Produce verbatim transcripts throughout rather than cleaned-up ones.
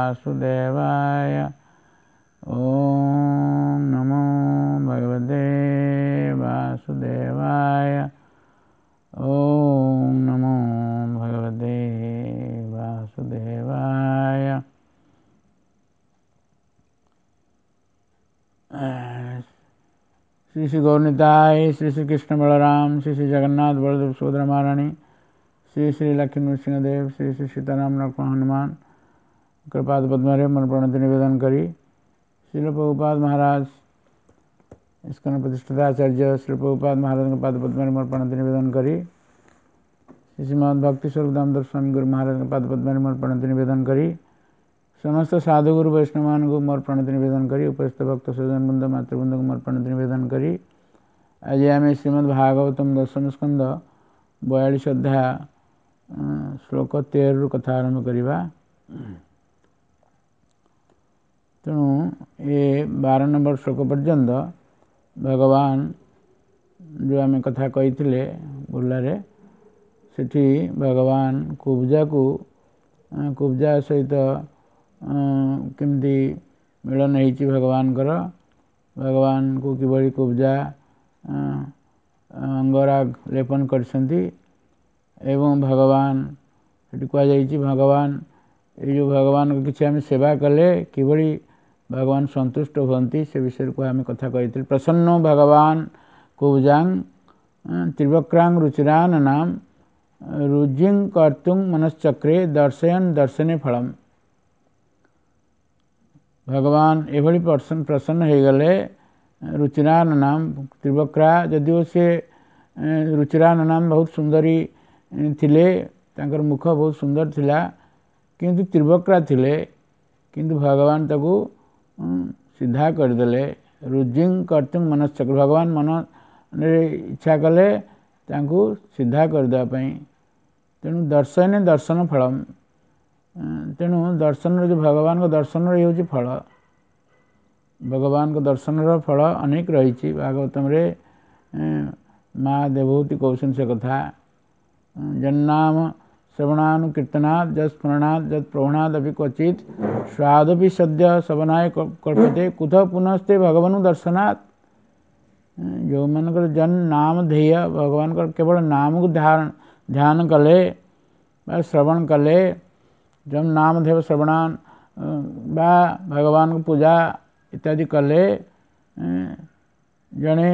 वासुदेवाय। ओम नमो भगवते वासुदेवाय। ओम नमो भगवते वासुदेवाय। श्री श्री गौरनिताय, श्री श्री कृष्ण बलराम, श्री श्री जगन्नाथ बलदेव सुभद्रा महारानी, श्री श्री लक्ष्मी नृसिंहदेव, श्री श्री सीताराम लक्ष्मण हनुमान कृपाद पद्मरे मन प्रणति निवेदन करी। श्रील प्रभुपाद महाराज इस्कॉन प्रतिष्ठिताचार्य श्री प्रभुपाद महाराज पाद पद्मरे मन प्रणति निवेदन करी। श्री श्रीमद भक्ति स्वरूप दामोदर स्वामी गुरु महाराज पाद पद्मरे मन प्रणति निवेदन करी। समस्त साधु गुरु वैष्णव को मोर प्रणति निवेदन करी। उपस्थित भक्त स्वजन बृंद मातृवृंद को मोर प्रणति निवेदन करी। आज आम श्रीमद भागवतम दशम स्कंद बयालीस अध्याय श्लोक तेर कथा आरंभ करवा। तेणु ये बार नंबर श्लोक पर्यंत भगवान जो आम कथा कही बुर्लारे सेठी भगवान कुब्जा को कुब्जा सहित केमती मिलन होइछि भगवानकर, भगवान को किभଳି कुब्जा अंगराग लेपन करछन्ति एवं भगवान सेठी कुहाଯାଇଛି भगवान ये जो भगवान को किछि आमे सेवा कले किभଳି भगवान सन्तुष्ट हुअन्ति से विषय को आमे कथा कहिथिलु। प्रसन्नो भगवान कुब्जां त्रिवक्रां रुचिरान नाम रुजिं कर्तुं मनश्चक्रे दर्शयन् दर्शने फलम। भगवान एभଳି प्रसन्न प्रसन्न होइगले रुचिरान नाम त्रिवक्रा, ଯଦିଓ से रुचिरान नाम बहुत सुंदरी थिले, तांकर मुख बहुत सुंदर थिला, किंतु त्रिवक्रा थिले, किंतु भगवान ताकू सीधा करदेले। रुजिं कर्तुं मनश्चक्र, भगवान मन इच्छा कले तांकू सीधा करदेवा पई। तेणु दर्शने दर्शन फलम, तेणु दर्शन जो भगवान को दर्शन रही फल, भगवान को दर्शन फल अनेक रही। भागवतम रे माँ देवहूति कौशन से कथा जन्नाम श्रवणानुकीर्तनात् जस्मरणात् जत्प्रवणादपि क्वचित् स्वादपि सद्य शवनाय कल्पते कुतः पुनस्ते भगवानु दर्शनात्। जो मानकर जन नाम ध्येय भगवान केवल नाम को ध्यान ध्यान कले बा श्रवण कले, जब नाम ध्येय श्रवणान बा भगवान को पूजा इत्यादि कले, जने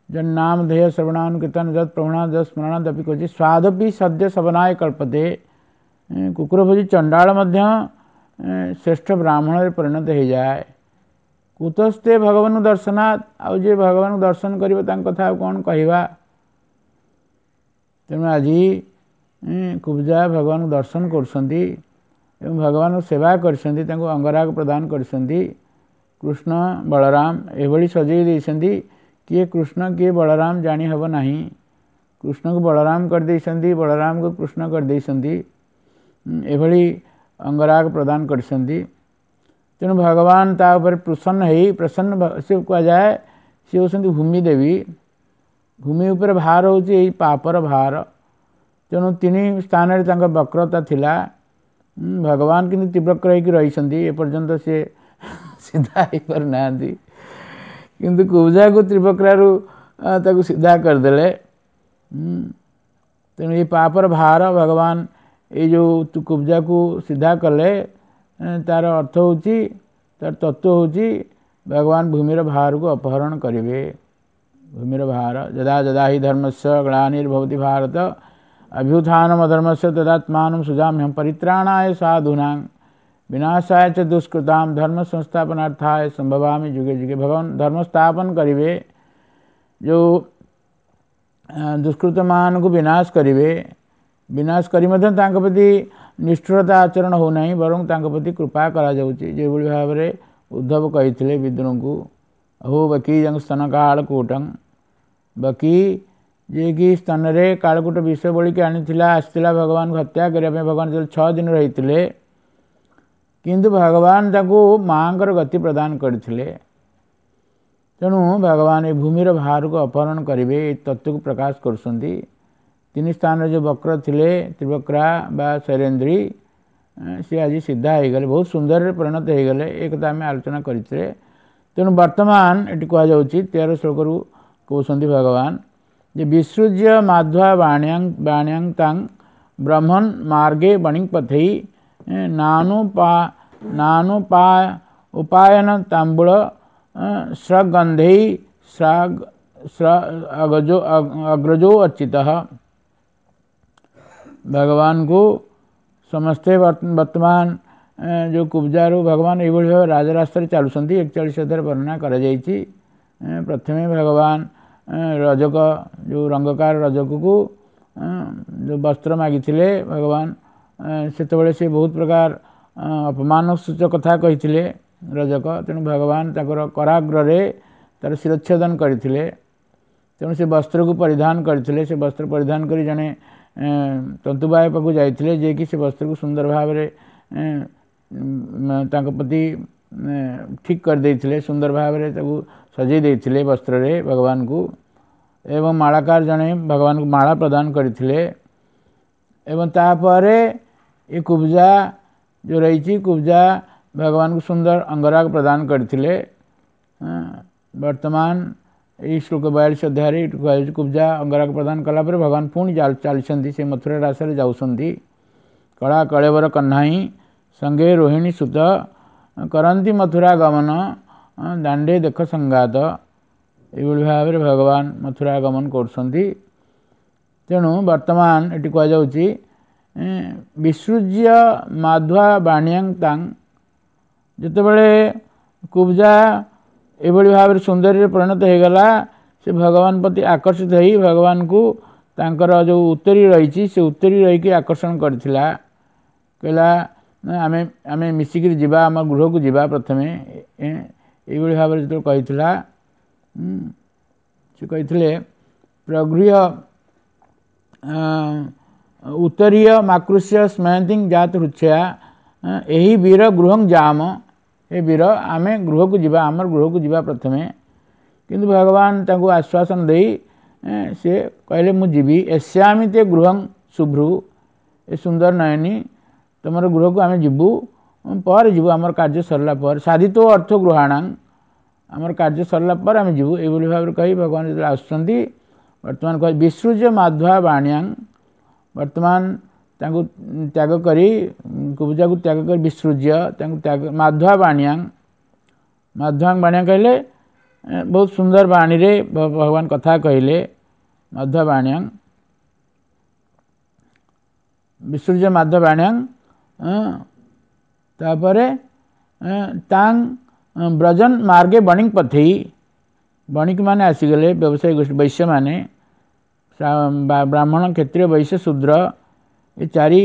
जन नाम ध्येय श्रवणानुकीर्तन जत प्रवणात् जत स्मरणात् अपि क्वचित् स्वादपि सद्य शवनाय कल्पते। कुकुर भोजी चंडाल मध्य श्रेष्ठ ब्राह्मण परिणत हो जाए। कुतस्ते भगवान दर्शनात्, आउ जे भगवान दर्शन करिବ ताଙ୍କ कथा आउ कौन कहिबा। तेणु आज कुब्जा भगवान दर्शन करछन्ति एवं भगवान सेवा करछन्ति, तांको अंगराग प्रदान करछन्ति। कृष्ण बलराम एभଳି सजेई दैछन्ति, किए कृष्ण किए बलराम जाणी हब नाही। कृष्ण को बलराम कर दैछन्ति, बलराम को कृष्ण कर दैछन्ति, एभଳି अंगराग प्रदान करछन्ति। तेणु भगवान ता ऊपर प्रसन्न होई प्रसन्न से कुहाजाए सी होउछन्ति भूमि देवी। भूमि ऊपर भार होउछि एई पापर भार। तेणु तीन स्थान रे तांकर वक्रता थिला, भगवान किंतु तीव्रक्र होइକି रहिछन्ति, ए पर्यंत से सीधा होई परनांती, किंतु कुब्जा को त्रिवक्रारू ताकू सीधा करदेले। तेणु ये पापर भार भगवान ये जो कुब्जा को सीधा कले तार अर्थ होची, तार तत्व होची भगवान भूमिर भार को अपहरण करिवे। भूमिर भार जदा जदा हि धर्मस्य ग्लानिर्भवति भारत अभ्युत्थानम अधर्मस्य तदात्मानं सुजाम्यहं परित्राणाय साधूनां विनाशाय च दुष्कृतां धर्म संस्थापनार्थाय संभवामि जुगे जुगे। भगवान धर्म स्थापन करिवे, जो दुष्कृत मान को विनाश करिवे, विनाश करी ମଧ୍ୟ तांक प्रति निष्ठुरता आचरण हो नाही, बरं तांक प्रति कृपा करा जाउछि। जेभଳି भाବରେ उद्धव कहिथिले विदुरଙ୍କୁ, अहो बकी स्तन कालकूटं, बकी जे कि स्तन रे कालकूट विष बोलिକି आनिथिला आसिथिला भगवान को हत्या କରିବା ପାଇଁ। भगवान ଯେତେବେଳେ छः दिन रहिथिले, किंतु भगवान ताकू मांकर गति प्रदान କରିଥିଲେ। तेणु भगवान ए भूमिर भार को अपहरण करिवे, ए तत्व को प्रकाश କରୁଛନ୍ତି। तीन स्थान जो वक्र थिले त्रिवक्रा बा शैलेन्द्री, ସିଏ ଆଜି ସିଧା ହେଇଗଲେ, ବହୁତ ସୁନ୍ଦରରେ ପରିଣତ ହେଇଗଲେ। ଏ କଥା ଆମେ ଆଲୋଚନା କରିଥିଲେ। ତେଣୁ ବର୍ତ୍ତମାନ ଏଠି କୁହାଯାଉଛି, ତେର ଶ୍ଲୋକରୁ କହୁଛନ୍ତି ଭଗବାନ ଯେ ବିସୃଜ୍ୟ ମାଧ୍ୱା ବାଣ୍ୟାଂ ବାଣ୍ୟାଂ ତାଂ ବ୍ରହ୍ମନ୍ ମାର୍ଗେ ବଣିପଥେଇ ନାନୁ ପା ନାନୁ ପା ଉପାୟନ ତାମ୍ବୁଳ ସ୍ରଗନ୍ଧେଇ ଅଗଜୋ ଅଗ୍ରଜୋ ଅର୍ଚିତ। ଭଗବାନଙ୍କୁ ସମସ୍ତେ ବର୍ତ୍ତମାନ ଯେଉଁ କୁବଜାରୁ ଭଗବାନ ଏଇଭଳି ଭାବେ ରାଜରାସ୍ତାରେ ଚାଲୁଛନ୍ତି, ଏକଚାଳିଶ ଅଧ୍ୟାୟରେ ବର୍ଣ୍ଣନା କରାଯାଇଛି। ପ୍ରଥମେ ଭଗବାନ ରଜକ, ଯେଉଁ ରଙ୍ଗକାର ରଜକକୁ ଯେଉଁ ବସ୍ତ୍ର ମାଗିଥିଲେ ଭଗବାନ, ସେତେବେଳେ ସେ ବହୁତ ପ୍ରକାର ଅପମାନ ସୂଚକ କଥା କହିଥିଲେ ରଜକ। ତେଣୁ ଭଗବାନ ତାଙ୍କର କରାଗ୍ରରେ ତାର ଶିରଚ୍ଛେଦନ କରିଥିଲେ। ତେଣୁ ସେ ବସ୍ତ୍ରକୁ ପରିଧାନ କରିଥିଲେ। ସେ ବସ୍ତ୍ର ପରିଧାନ କରି ଜଣେ ତନ୍ତୁବାୟ ପାଖକୁ ଯାଇଥିଲେ, ଯିଏକି ସେ ବସ୍ତ୍ରକୁ ସୁନ୍ଦର ଭାବରେ ତାଙ୍କ ପ୍ରତି ଠିକ୍ କରିଦେଇଥିଲେ, ସୁନ୍ଦର ଭାବରେ ତାକୁ ସଜେଇ ଦେଇଥିଲେ ବସ୍ତ୍ରରେ ଭଗବାନଙ୍କୁ। ଏବଂ ମାଳାକାର ଜଣେ ଭଗବାନଙ୍କୁ ମାଳା ପ୍ରଦାନ କରିଥିଲେ। ଏବଂ ତାପରେ ଏ କୁବଜା ଯେଉଁ ରହିଛି, କୁବଜା ଭଗବାନଙ୍କୁ ସୁନ୍ଦର ଅଙ୍ଗରାଗ ପ୍ରଦାନ କରିଥିଲେ। ବର୍ତ୍ତମାନ ଏଇ ଶ୍ଲୋକ ବୟାଳିଶ ଅଧ୍ୟାୟରେ କୁହାଯାଉଛି, କୁବଜା ଅଙ୍ଗରାଗ ପ୍ରଦାନ କଲା ପରେ ଭଗବାନ ପୁଣି ଚାଲିଛନ୍ତି, ସେ ମଥୁରା ରାସରେ ଯାଉଛନ୍ତି। କଳା କଳେବର କହ୍ନାଇ ସଙ୍ଗେ ରୋହିଣୀ ସୁତ କରନ୍ତି ମଥୁରା ଗମନ ଦାଣ୍ଡେ ଦେଖ ସଂଘାତ। ଏଇଭଳି ଭାବରେ ଭଗବାନ ମଥୁରା ଗମନ କରୁଛନ୍ତି। ତେଣୁ ବର୍ତ୍ତମାନ ଏଠି କୁହାଯାଉଛି ବିସୃଜ୍ୟ ମାଧ୍ୱା ବାଣିୟାଂ ତାଂ, ଯେତେବେଳେ କୁବଜା ଏଭଳି ଭାବରେ ସୁନ୍ଦରୀରେ ପରିଣତ ହେଇଗଲା, ସେ ଭଗବାନ ପ୍ରତି ଆକର୍ଷିତ ହେଇ ଭଗବାନଙ୍କୁ ତାଙ୍କର ଯେଉଁ ଉତ୍ତରୀ ରହିଛି, ସେ ଉତ୍ତରୀ ରହିକି ଆକର୍ଷଣ କରିଥିଲା। କହିଲା ଆମେ ଆମେ ମିଶିକିରି ଯିବା, ଆମ ଗୃହକୁ ଯିବା ପ୍ରଥମେ। ଏଇଭଳି ଭାବରେ ଯେତେବେଳେ କହିଥିଲା, ସେ କହିଥିଲେ ପ୍ରଗୃହ୍ୟ ଉତ୍ତରୀୟ ମାକୃଷ୍ୟ ସ୍ମୟନ୍ତିଂ ଜାତ ହୃଚ୍ଛୟା ଏହି ବୀର ଗୃହଂ ଯାମ। ହେ ବୀର, ଆମେ ଗୃହକୁ ଯିବା, ଆମର ଗୃହକୁ ଯିବା ପ୍ରଥମେ। କିନ୍ତୁ ଭଗବାନ ତାଙ୍କୁ ଆଶ୍ୱାସନ ଦେଇ ସେ କହିଲେ ମୁଁ ଯିବି। ଏସ୍ୟାମି ତେ ଗୃହଂ ଶୁଭ୍ରୁ, ଏ ସୁନ୍ଦର ନୟନୀ, ତୁମର ଗୃହକୁ ଆମେ ଯିବୁ ପରେ ଯିବୁ, ଆମର କାର୍ଯ୍ୟ ସରିଲା ପରେ। ସାଧିତ ଅର୍ଥ ଗୃହାଣାଂ, ଆମର କାର୍ଯ୍ୟ ସରିଲା ପରେ ଆମେ ଯିବୁ। ଏଇଭଳି ଭାବରେ କହି ଭଗବାନ ଯେତେବେଳେ ଆସୁଛନ୍ତି, ବର୍ତ୍ତମାନ କହି ବିସୃଜ୍ୟ ମାଧ୍ୱା ବାଣିୟାଂ, ବର୍ତ୍ତମାନ ତାଙ୍କୁ ତ୍ୟାଗ କରି, କୁବଜାକୁ ତ୍ୟାଗ କରି ବିସୃଜ୍ୟ ତାଙ୍କୁ ତ୍ୟାଗ ମାଧ୍ୱା ବାଣିୟାଂ। ମାଧ୍ୱାଂ ବାଣିଆ କହିଲେ ବହୁତ ସୁନ୍ଦର ବାଣୀରେ ଭଗବାନ କଥା କହିଲେ। ମାଧ୍ୱା ବାଣିୟାଂ ବିସୃଜ୍ୟ ମାଧ୍ୱା ବାଣିୟାଂ, ତାପରେ ତାଂ ବ୍ରଜନ ମାର୍ଗେ ବଣିକ ପଥେଇ, ବଣିକମାନେ ଆସିଗଲେ, ବ୍ୟବସାୟୀ ଗୋଷ୍ଠୀ ବୈଶ୍ୟମାନେ, ବ୍ରାହ୍ମଣ କ୍ଷତ୍ରିୟ ବୈଶ୍ୟ ଶୂଦ୍ର ଏ ଚାରି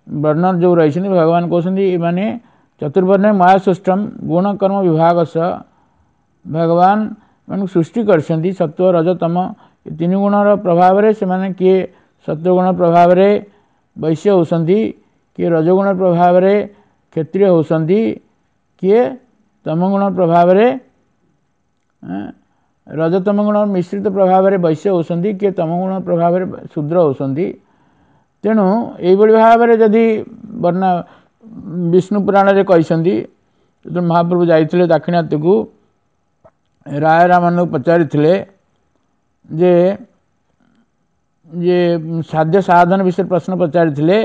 ବର୍ଣ୍ଣ ଯେଉଁ ରହିଛନ୍ତି, ଭଗବାନ କହୁଛନ୍ତି ଏମାନେ ଚତୁର୍ବର୍ଣ୍ଣ ମୟା ସୃଷ୍ଟମ ଗୁଣ କର୍ମ ବିଭାଗସ। ଭଗବାନ ଏମାନଙ୍କୁ ସୃଷ୍ଟି କରିଛନ୍ତି ସତ୍ୱ ରଜ ତମ ଏ ତିନି ଗୁଣର ପ୍ରଭାବରେ। ସେମାନେ କିଏ ସତ୍ୱଗୁଣ ପ୍ରଭାବରେ ବୈଶ୍ୟ ହେଉଛନ୍ତି, କିଏ ରଜଗୁଣ ପ୍ରଭାବରେ କ୍ଷତ୍ରିୟ ହେଉଛନ୍ତି, କିଏ ତମଗୁଣ ପ୍ରଭାବରେ ରଜତମ ଗୁଣ ମିଶ୍ରିତ ପ୍ରଭାବରେ ବୈଶ୍ୟ ହେଉଛନ୍ତି, କିଏ ତମଗୁଣ ପ୍ରଭାବରେ ଶୂଦ୍ର ହେଉଛନ୍ତି। ତେଣୁ ଏଇଭଳି ଭାବରେ ଯଦି ବର୍ଣ୍ଣ ବିଷ୍ଣୁ ପୁରାଣରେ କହିଛନ୍ତି, ଯେତେବେଳେ ମହାପ୍ରଭୁ ଯାଇଥିଲେ ଦାକ୍ଷିଣାତ୍ୟକୁ, ରାୟ ରାମାନଙ୍କୁ ପଚାରିଥିଲେ ଯେ ଯେ ସାଧ୍ୟ ସାଧନ ବିଷୟରେ ପ୍ରଶ୍ନ ପଚାରିଥିଲେ।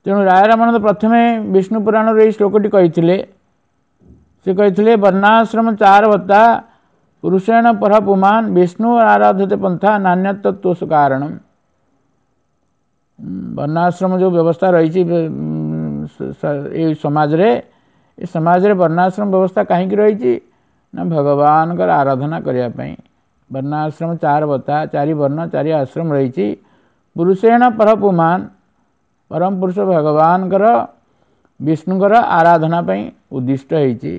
ତେଣୁ ରାୟ ରାମାନନ୍ଦ ପ୍ରଥମେ ବିଷ୍ଣୁ ପୁରାଣରୁ ଏଇ ଶ୍ଲୋକଟି କହିଥିଲେ। ସେ କହିଥିଲେ ବର୍ଣ୍ଣାଶ୍ରମ ଚାର ଭତ୍ତା ପୁରୁଷେଣ ପର ପୁମାନ ବିଷ୍ଣୁ ଆରାଧତେ ପନ୍ଥା ନାନ୍ୟତତ୍ତ୍ୱ କାରଣ। ବର୍ଣ୍ଣାଶ୍ରମ ଯେଉଁ ବ୍ୟବସ୍ଥା ରହିଛି ଏଇ ସମାଜରେ, ଏ ସମାଜରେ ବର୍ଣ୍ଣାଶ୍ରମ ବ୍ୟବସ୍ଥା କାହିଁକି ରହିଛି ନା ଭଗବାନଙ୍କର ଆରାଧନା କରିବା ପାଇଁ। ବର୍ଣ୍ଣାଶ୍ରମ ଚାର ବତା, ଚାରି ବର୍ଣ୍ଣ ଚାରି ଆଶ୍ରମ ରହିଛି। ପୁରୁଷେଣ ପର ପୁମାନ, ପରମ ପୁରୁଷ ଭଗବାନଙ୍କର ବିଷ୍ଣୁଙ୍କର ଆରାଧନା ପାଇଁ ଉଦ୍ଦିଷ୍ଟ ହେଇଛି।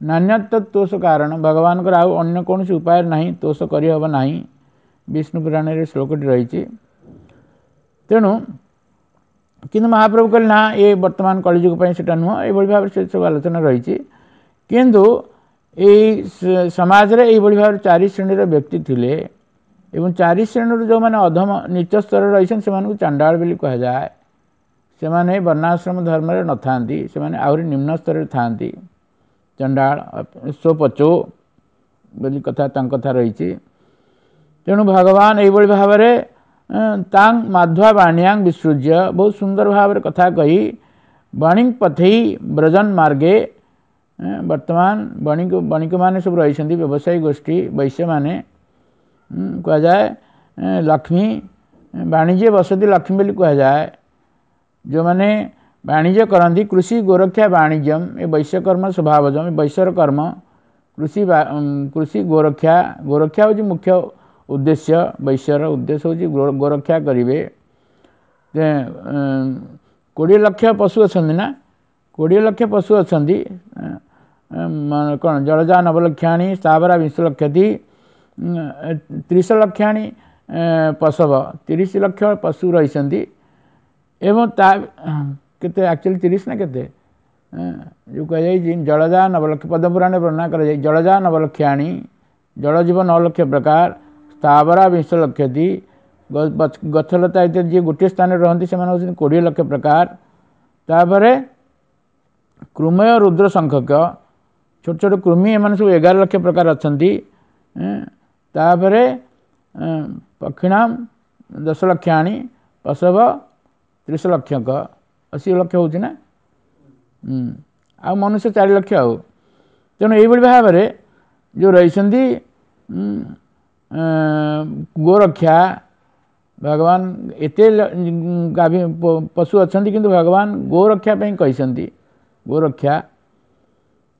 ନାନ୍ୟତ୍ୱ ତୋଷ କାରଣ, ଭଗବାନଙ୍କର ଆଉ ଅନ୍ୟ କୌଣସି ଉପାୟ ନାହିଁ, ତୋଷ କରିହେବ ନାହିଁ। ବିଷ୍ଣୁ ପୁରାଣରେ ଶ୍ଲୋକଟି ରହିଛି। ତେଣୁ କିନ୍ତୁ ମହାପ୍ରଭୁ କହିଲେ ନା, ଏ ବର୍ତ୍ତମାନ କଳିଯୁଗ ପାଇଁ ସେଟା ନୁହଁ। ଏଇଭଳି ଭାବରେ ସେ ସବୁ ଆଲୋଚନା ରହିଛି। କିନ୍ତୁ ଏଇ ସମାଜରେ ଏଇଭଳି ଭାବରେ ଚାରି ଶ୍ରେଣୀର ବ୍ୟକ୍ତି ଥିଲେ ଏବଂ ଚାରି ଶ୍ରେଣୀରୁ ଯେଉଁମାନେ ଅଧମ ନୀଚ ସ୍ତରରେ ରହିଛନ୍ତି ସେମାନଙ୍କୁ ଚାଣ୍ଡାଳ ବୋଲି କୁହାଯାଏ। ସେମାନେ ବର୍ଣ୍ଣାଶ୍ରମ ଧର୍ମରେ ନଥାନ୍ତି, ସେମାନେ ଆହୁରି ନିମ୍ନ ସ୍ତରରେ ଥାଆନ୍ତି। ଚଣ୍ଡାଳ ସ୍ୱପଚୋ ବୋଲି କଥା ତାଙ୍କ କଥା ରହିଛି। ତେଣୁ ଭଗବାନ ଏଇଭଳି ଭାବରେ ତାଂ ମାଧ୍ୱା ବାଣିଆଂ ବିସୃଜ୍ୟ, ବହୁତ ସୁନ୍ଦର ଭାବରେ କଥା କହି ବଣିଂ ପଥେଇ ବ୍ରଜନ ମାର୍ଗେ, ବର୍ତ୍ତମାନ ବଣିକ ବଣିକମାନେ ସବୁ ରହିଛନ୍ତି, ବ୍ୟବସାୟୀ ଗୋଷ୍ଠୀ ବୈଶ୍ୟମାନେ କୁହାଯାଏ। ଲକ୍ଷ୍ମୀ ବାଣିଜ୍ୟ ବସତି ଲକ୍ଷ୍ମୀ ବୋଲି କୁହାଯାଏ। ଯେଉଁମାନେ ବାଣିଜ୍ୟ କରନ୍ତି, କୃଷି ଗୋରକ୍ଷା ବାଣିଜ୍ୟମ, ଏ ବୈଶ୍ୟକର୍ମ ସ୍ୱଭାବଜମ, ଏ ବୈଶ୍ୟର କର୍ମ କୃଷି, କୃଷି ଗୋରକ୍ଷା। ଗୋରକ୍ଷା ହେଉଛି ମୁଖ୍ୟ ଉଦ୍ଦେଶ୍ୟ, ବୈଶ୍ୟର ଉଦ୍ଦେଶ୍ୟ ହେଉଛି ଗୋରକ୍ଷା କରିବେ। କୋଡ଼ିଏ ଲକ୍ଷ ପଶୁ ଅଛନ୍ତି ନା, କୋଡ଼ିଏ ଲକ୍ଷ ପଶୁ ଅଛନ୍ତି। କ'ଣ ଜଳଜା ନବଲକ୍ଷାଣି ସ୍ଥାବରା ବିଂଶ ଲକ୍ଷତି ତ୍ରିଶ ଲକ୍ଷାଣି ପଶବ, ତିରିଶ ଲକ୍ଷ ପଶୁ ରହିଛନ୍ତି। ଏବଂ ତା କେତେ ଆକ୍ଚୁଆଲି ତିରିଶ ନା କେତେ ଯେଉଁ କୁହାଯାଇଛି ଜଳଜା ନବଲକ୍ଷ, ପଦ୍ମପୁରାଣରେ ବର୍ଣ୍ଣନା କରାଯାଇ ଜଳଜା ନବଲକ୍ଷାଣି, ଜଳଜୀବ ନଅ ଲକ୍ଷ ପ୍ରକାର, ସ୍ଥାବରା ବିଂଶ ଲକ୍ଷତି, ଗଛଲତା ଇତ୍ୟାଦି ଯିଏ ଗୋଟିଏ ସ୍ଥାନରେ ରହନ୍ତି ସେମାନେ ହେଉଛନ୍ତି କୋଡ଼ିଏ ଲକ୍ଷ ପ୍ରକାର। ତାପରେ କୃମୟ ରୁଦ୍ର ସଂଖ୍ୟକ, ଛୋଟ ଛୋଟ କୃମି, ଏମାନେ ସବୁ ଏଗାର ଲକ୍ଷ ପ୍ରକାର ଅଛନ୍ତି। ତାପରେ ପକ୍ଷିଣାମ ଦଶ ଲକ୍ଷାଣି, ପଶବ ତ୍ରିଶ ଲକ୍ଷକ, ଅଶୀ ଲକ୍ଷ ହେଉଛି ନା, ଆଉ ମନୁଷ୍ୟ ଚାରି ଲକ୍ଷ ଆଉ। ତେଣୁ ଏଇଭଳି ଭାବରେ ଯେଉଁ ରହିଛନ୍ତି ଗୋରକ୍ଷା, ଭଗବାନ ଏତେ ଗାଭୀ ପଶୁ ଅଛନ୍ତି କିନ୍ତୁ ଭଗବାନ ଗୋରକ୍ଷା ପାଇଁ କହିଛନ୍ତି ଗୋରକ୍ଷା।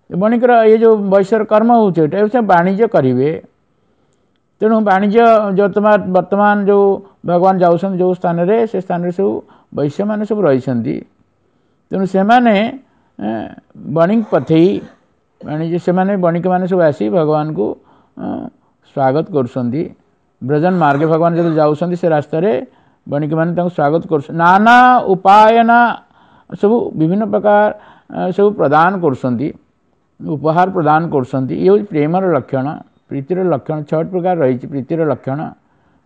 ବଣିକର ଏ ଯେଉଁ ବୈଶ୍ୟର କର୍ମ ହେଉଛି ଏଇଟା ସେ ବାଣିଜ୍ୟ କରିବେ। ତେଣୁ ବାଣିଜ୍ୟ ବର୍ତ୍ତମାନ ବର୍ତ୍ତମାନ ଯେଉଁ ଭଗବାନ ଯାଉଛନ୍ତି ଯେଉଁ ସ୍ଥାନରେ, ସେ ସ୍ଥାନରେ ସବୁ ବୈଶ୍ୟମାନେ ସବୁ ରହିଛନ୍ତି। ତେଣୁ ସେମାନେ ବଣିକ ପଥେଇ ବାଣିଜ୍ୟ, ସେମାନେ ବଣିକମାନେ ସବୁ ଆସି ଭଗବାନଙ୍କୁ ସ୍ୱାଗତ କରୁଛନ୍ତି। ବ୍ରଜନ ମାର୍ଗେ ଭଗବାନ ଯେତେବେଳେ ଯାଉଛନ୍ତି ସେ ରାସ୍ତାରେ ବଣିକମାନେ ତାଙ୍କୁ ସ୍ୱାଗତ କରୁଛନ୍ତି। ନାନା ଉପାୟନା ସବୁ ବିଭିନ୍ନ ପ୍ରକାର ସବୁ ପ୍ରଦାନ କରୁଛନ୍ତି, ଉପହାର ପ୍ରଦାନ କରୁଛନ୍ତି। ଇଏ ହେଉଛି ପ୍ରେମର ଲକ୍ଷଣ, ପ୍ରୀତିର ଲକ୍ଷଣ। ଛଅଟି ପ୍ରକାର ରହିଛି ପ୍ରୀତିର ଲକ୍ଷଣ।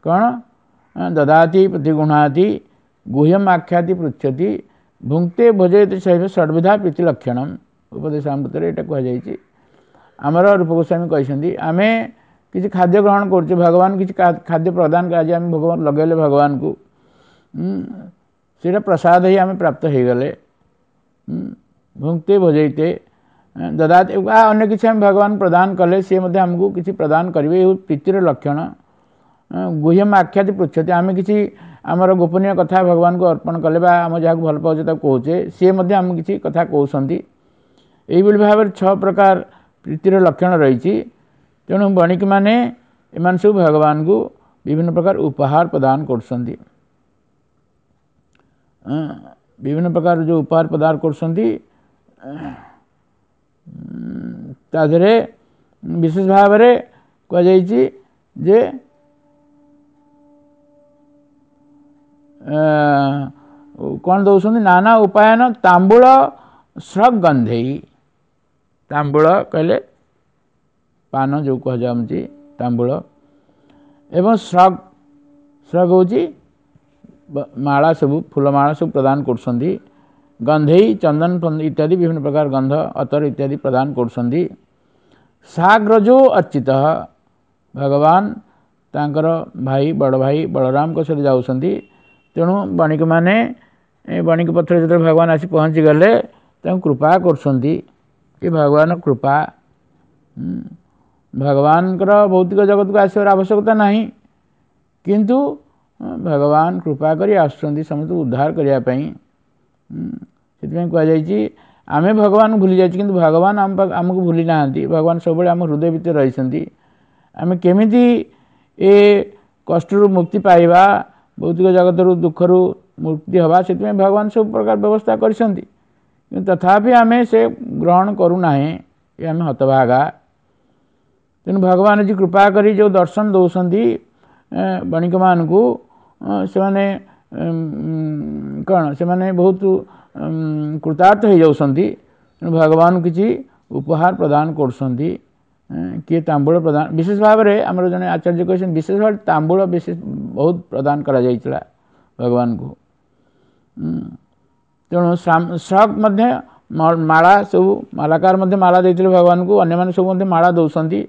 କ'ଣ? ଦଦାତି ପ୍ରତିଗୃହ୍ଣାତି ଗୁହ୍ୟମ ଆଖ୍ୟାତି ପୃଚ୍ଛତି ଭୁକ୍ତେ ଭୋଜୟତି ଶୈବ ଷଡ଼ବିଧା ପ୍ରୀତି ଲକ୍ଷଣମ। ଉପଦେଶାମୃତରେ ଏଇଟା କୁହାଯାଇଛି। ଆମର ରୂପ ଗୋସ୍ୱାମୀ କହିଛନ୍ତି ଆମେ କିଛି ଖାଦ୍ୟ ଗ୍ରହଣ କରୁଛେ, ଭଗବାନ କିଛି ଖାଦ୍ୟ ପ୍ରଦାନ, ଆଜି ଆମେ ଭଗବାନ ଲଗାଇଲେ ଭଗବାନଙ୍କୁ, ସେଇଟା ପ୍ରସାଦ ହେଇ ଆମେ ପ୍ରାପ୍ତ ହେଇଗଲେ। ଭୁକ୍ତେ ଭୋଜୟତେ ଦଦାତି, ଅନ୍ୟ କିଛି ଆମେ ଭଗବାନ ପ୍ରଦାନ କଲେ ସିଏ ମଧ୍ୟ ଆମକୁ କିଛି ପ୍ରଦାନ କରିବେ। ଏ ପ୍ରୀତିର ଲକ୍ଷଣ। ଗୁହ୍ୟମ ଆଖ୍ୟାତି ପୃଚ୍ଛତି, ଆମେ କିଛି ଆମର ଗୋପନୀୟ କଥା ଭଗବାନଙ୍କୁ ଅର୍ପଣ କଲେ ବା ଆମେ ଯାହାକୁ ଭଲ ପାଉଛେ ତାକୁ କହୁଛେ, ସିଏ ମଧ୍ୟ ଆମକୁ କିଛି କଥା କହୁଛନ୍ତି। ଏଇଭଳି ଭାବରେ ଛଅ ପ୍ରକାର ପ୍ରୀତିର ଲକ୍ଷଣ ରହିଛି। ତେଣୁ ବଣିକମାନେ ଏମାନେ ସବୁ ଭଗବାନଙ୍କୁ ବିଭିନ୍ନ ପ୍ରକାର ଉପହାର ପ୍ରଦାନ କରୁଛନ୍ତି। ବିଭିନ୍ନ ପ୍ରକାର ଯେଉଁ ଉପହାର ପ୍ରଦାନ କରୁଛନ୍ତି ତା ଦେହରେ ବିଶେଷ ଭାବରେ କୁହାଯାଇଛି ଯେ କ'ଣ ଦେଉଛନ୍ତି, ନାନା ଉପାୟନ ତାମ୍ବୁଳ ସ୍ରଗ ଗନ୍ଧେଇ। ତାମ୍ବୁଳ କହିଲେ ପାନ ଯେଉଁ କୁହାଯାଉଛି ତାମ୍ବୁଳ, ଏବଂ ସ୍ରଗ, ସ୍ରଗ ହେଉଛି ମାଳା ସବୁ, ଫୁଲମାଳା ସବୁ ପ୍ରଦାନ କରୁଛନ୍ତି। ଗନ୍ଧେଇ ଚନ୍ଦନ ଇତ୍ୟାଦି ବିଭିନ୍ନ ପ୍ରକାର ଗନ୍ଧ ଅତର ଇତ୍ୟାଦି ପ୍ରଦାନ କରୁଛନ୍ତି। ସାଗ୍ରଜୋ ଅର୍ଚିତ, ଭଗବାନ ତାଙ୍କର ଭାଇ ବଡ଼ ଭାଇ ବଳରାମଙ୍କ ସହିତ ଯାଉଛନ୍ତି। ତେଣୁ ବଣିକମାନେ ବଣିକ ପଥରେ ଯେତେବେଳେ ଭଗବାନ ଆସି ପହଞ୍ଚିଗଲେ ତାଙ୍କୁ କୃପା କରୁଛନ୍ତି। ଏ ଭଗବାନ କୃପା, ଭଗବାନଙ୍କର ଭୌତିକ ଜଗତକୁ ଆସିବାର ଆବଶ୍ୟକତା ନାହିଁ, କିନ୍ତୁ ଭଗବାନ କୃପା କରି ଆସୁଛନ୍ତି ସମସ୍ତଙ୍କୁ ଉଦ୍ଧାର କରିବା ପାଇଁ। ସେଥିପାଇଁ କୁହାଯାଇଛି ଆମେ ଭଗବାନଙ୍କୁ ଭୁଲି ଯାଇଛୁ କିନ୍ତୁ ଭଗବାନ ଆମ ଆମକୁ ଭୁଲି ନାହାନ୍ତି। ଭଗବାନ ସବୁବେଳେ ଆମ ହୃଦୟ ଭିତରେ ରହିଛନ୍ତି। ଆମେ କେମିତି ଏ କଷ୍ଟରୁ ମୁକ୍ତି ପାଇବା, ଭୌତିକ ଜଗତରୁ ଦୁଃଖରୁ ମୁକ୍ତି ହେବା, ସେଥିପାଇଁ ଭଗବାନ ସବୁ ପ୍ରକାର ବ୍ୟବସ୍ଥା କରିଛନ୍ତି। କିନ୍ତୁ ତଥାପି ଆମେ ସେ ଗ୍ରହଣ କରୁନାହେଁ, ଏ ଆମେ ହତଭାଗା। ତେଣୁ ଭଗବାନ ଆଜି କୃପା କରି ଯେଉଁ ଦର୍ଶନ ଦେଉଛନ୍ତି ବଣିକମାନଙ୍କୁ, ସେମାନେ କ'ଣ ସେମାନେ ବହୁତ କୃତାର୍ଥ ହେଇଯାଉଛନ୍ତି। ତେଣୁ ଭଗବାନଙ୍କୁ କିଛି ଉପହାର ପ୍ରଦାନ କରୁଛନ୍ତି। କିଏ ତାମ୍ବୁଳ ପ୍ରଦାନ, ବିଶେଷ ଭାବରେ ଆମର ଜଣେ ଆଚାର୍ଯ୍ୟ କହିଛନ୍ତି ବିଶେଷ ଭାବରେ ତାମ୍ବୁଳ ବିଶେଷ ବହୁତ ପ୍ରଦାନ କରାଯାଇଥିଲା ଭଗବାନଙ୍କୁ। ତେଣୁ ଶ୍ରକ୍ ମଧ୍ୟ ମାଳା ସବୁ ମାଲାକାର ମଧ୍ୟ ମାଳା ଦେଇଥିଲେ ଭଗବାନଙ୍କୁ, ଅନ୍ୟମାନେ ସବୁ ମଧ୍ୟ ମାଳା ଦେଉଛନ୍ତି।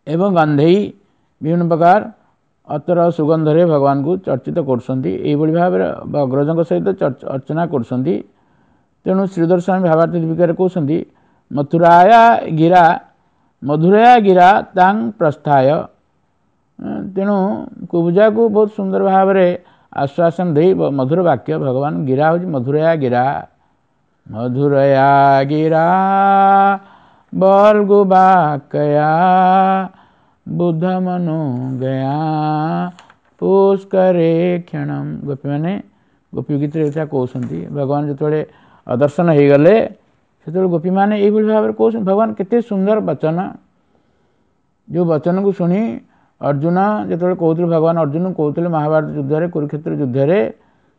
ଏବଂ ଗନ୍ଧେଇ ବିଭିନ୍ନ ପ୍ରକାର ଅତର ସୁଗନ୍ଧରେ ଭଗବାନଙ୍କୁ ଚର୍ଚ୍ଚିତ କରୁଛନ୍ତି। ଏଇଭଳି ଭାବରେ ଅଗ୍ରଜଙ୍କ ସହିତ ଅର୍ଚ୍ଚନା କରୁଛନ୍ତି। ତେଣୁ ଶ୍ରୀଧର ସ୍ୱାମୀ ଭାବାର୍ଥ ଦୀପିକାରେ କହୁଛନ୍ତି, ମଥୁରାୟା ଗିରା ମଧୁରୟା ଗିରା ତାଂ ପ୍ରସ୍ଥାୟ। ତେଣୁ କୁବଜାକୁ ବହୁତ ସୁନ୍ଦର ଭାବରେ ଆଶ୍ୱାସନ ଦେଇ ମଧୁର ବାକ୍ୟ ଭଗବାନ, ଗିରା ହେଉଛି ମଧୁରୟା ଗିରା, ମଧୁରୟା ଗିରା ବଲ୍ଗୁ ବାକୟା ବୁଦ୍ଧ ମନୁ ଗୟା ପୁଷ୍କରେ କ୍ଷଣମ। ଗୋପୀମାନେ ଗୋପୀ ଗୀତରେ ଏଇଟା କହୁଛନ୍ତି। ଭଗବାନ ଯେତେବେଳେ ଅଦର୍ଶନ ହେଇଗଲେ ସେତେବେଳେ ଗୋପୀମାନେ ଏଇଭଳି ଭାବରେ କହୁଛନ୍ତି, ଭଗବାନ କେତେ ସୁନ୍ଦର ବଚନ, ଯେଉଁ ବଚନକୁ ଶୁଣି ଅର୍ଜୁନ ଯେତେବେଳେ କହୁଥିଲେ, ଭଗବାନ ଅର୍ଜୁନକୁ କହୁଥିଲେ ମହାଭାରତ ଯୁଦ୍ଧରେ, କୁରୁକ୍ଷେତ୍ର ଯୁଦ୍ଧରେ,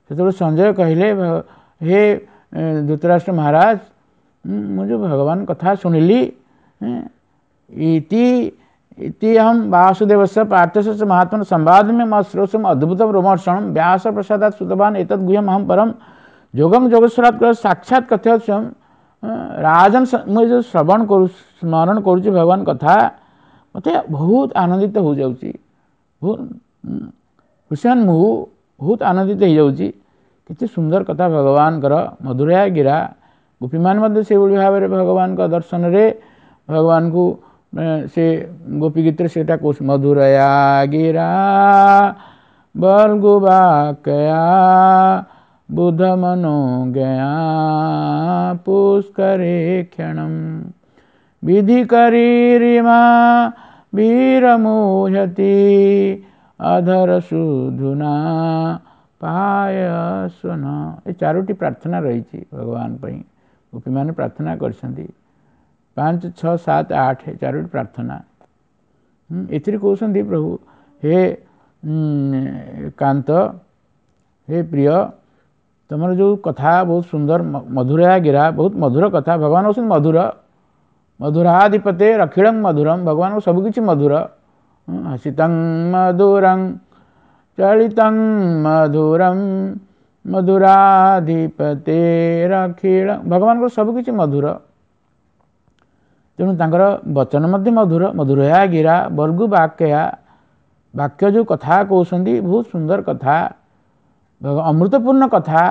ସେତେବେଳେ ସଞ୍ଜୟ କହିଲେ, ହେ ଧୃତରାଷ୍ଟ୍ର ମହାରାଜ, ମୁଁ ଯେଉଁ ଭଗବାନ କଥା ଶୁଣିଲି, ଇତି ଇତି ଅହಂ ବାସୁଦେବସ୍ୟ ପାର୍ଥସ୍ୟ ମହାତ୍ମନ ସମ୍ବାଦମେ ମା ଶ୍ରୋଷମ ଅଦ୍ଭୁତ ରୋମହର୍ଷଣମ ବ୍ୟାସ ପ୍ରସାଦାତ ସୁତବାନ ଏତଦ୍ ଗୁହ୍ୟମ ଅହಂ ପରମ ଯୋଗಂ ଯୋଗେଶ୍ୱରାତ୍ ସାକ୍ଷାତ କଥ୍ୟ ସ୍ୱୟଂ ରାଜନ। ମୁଁ ଯେଉଁ ଶ୍ରବଣ କରୁ ସ୍ମରଣ କରୁଛି ଭଗବାନ କଥା, ମୋତେ ବହୁତ ଆନନ୍ଦିତ ହୋଇଯାଉଛି, ବହୁତ ହୁସେନ ମୁଁ ବହୁତ ଆନନ୍ଦିତ ହେଇଯାଉଛି। କେତେ ସୁନ୍ଦର କଥା ଭଗବାନଙ୍କର, ମଧୁରୟା ଗିରା। ଗୋପୀମାନେ ମଧ୍ୟ ସେଇଭଳି ଭାବରେ ଭଗବାନଙ୍କ ଦର୍ଶନରେ ଭଗବାନଙ୍କୁ ସେ ଗୋପୀ ଗୀତରେ ସେଇଟା କହୁଛି, ମଧୁରୟା ଗିରା ବଲ୍ଗୁ ବାକୟା ବୁଧ ମନୋ ଗୟା ପୁଷ୍କରେ କ୍ଷଣମ ବିଧି କରିରିମା ବୀରମୁହ୍ୟତି ଅଧର ସୁଧୁନା ପାୟସ୍ୱନ। ଏ ଚାରୋଟି ପ୍ରାର୍ଥନା ରହିଛି ଭଗବାନ ପାଇଁ, ଗୋପୀମାନେ ପ୍ରାର୍ଥନା କରିଛନ୍ତି। ପାଞ୍ଚ ଛଅ ସାତ ଆଠ ଚାରୋଟି ପ୍ରାର୍ଥନା ଏଥିରେ କହୁଛନ୍ତି, ପ୍ରଭୁ ହେ କାନ୍ତ, ହେ ପ୍ରିୟ, ତୁମର ଯେଉଁ କଥା ବହୁତ ସୁନ୍ଦର, ମଧୁରା ଗିରା, ବହୁତ ମଧୁର କଥା। ଭଗବାନ ହେଉଛନ୍ତି ମଧୁର, ମଧୁରାଧିପତେ ରଖିଳଂ ମଧୁରମ, ଭଗବାନଙ୍କ ସବୁକିଛି ମଧୁର। ହସିତଂ ମଧୁରଂ ଚଳିତଂ ମଧୁରಂ ମଧୁରାଧିପତେ ରଖିଳ, ଭଗବାନଙ୍କର ସବୁକିଛି ମଧୁର। ତେଣୁ ତାଙ୍କର ବଚନ ମଧ୍ୟ ମଧୁର, ମଧୁରୟା ଗିରା ବର୍ଗୁ ବାକ୍ୟା, ବାକ୍ୟ ଯେଉଁ କଥା କହୁଛନ୍ତି ବହୁତ ସୁନ୍ଦର କଥା, ଅମୃତପୂର୍ଣ୍ଣ କଥା।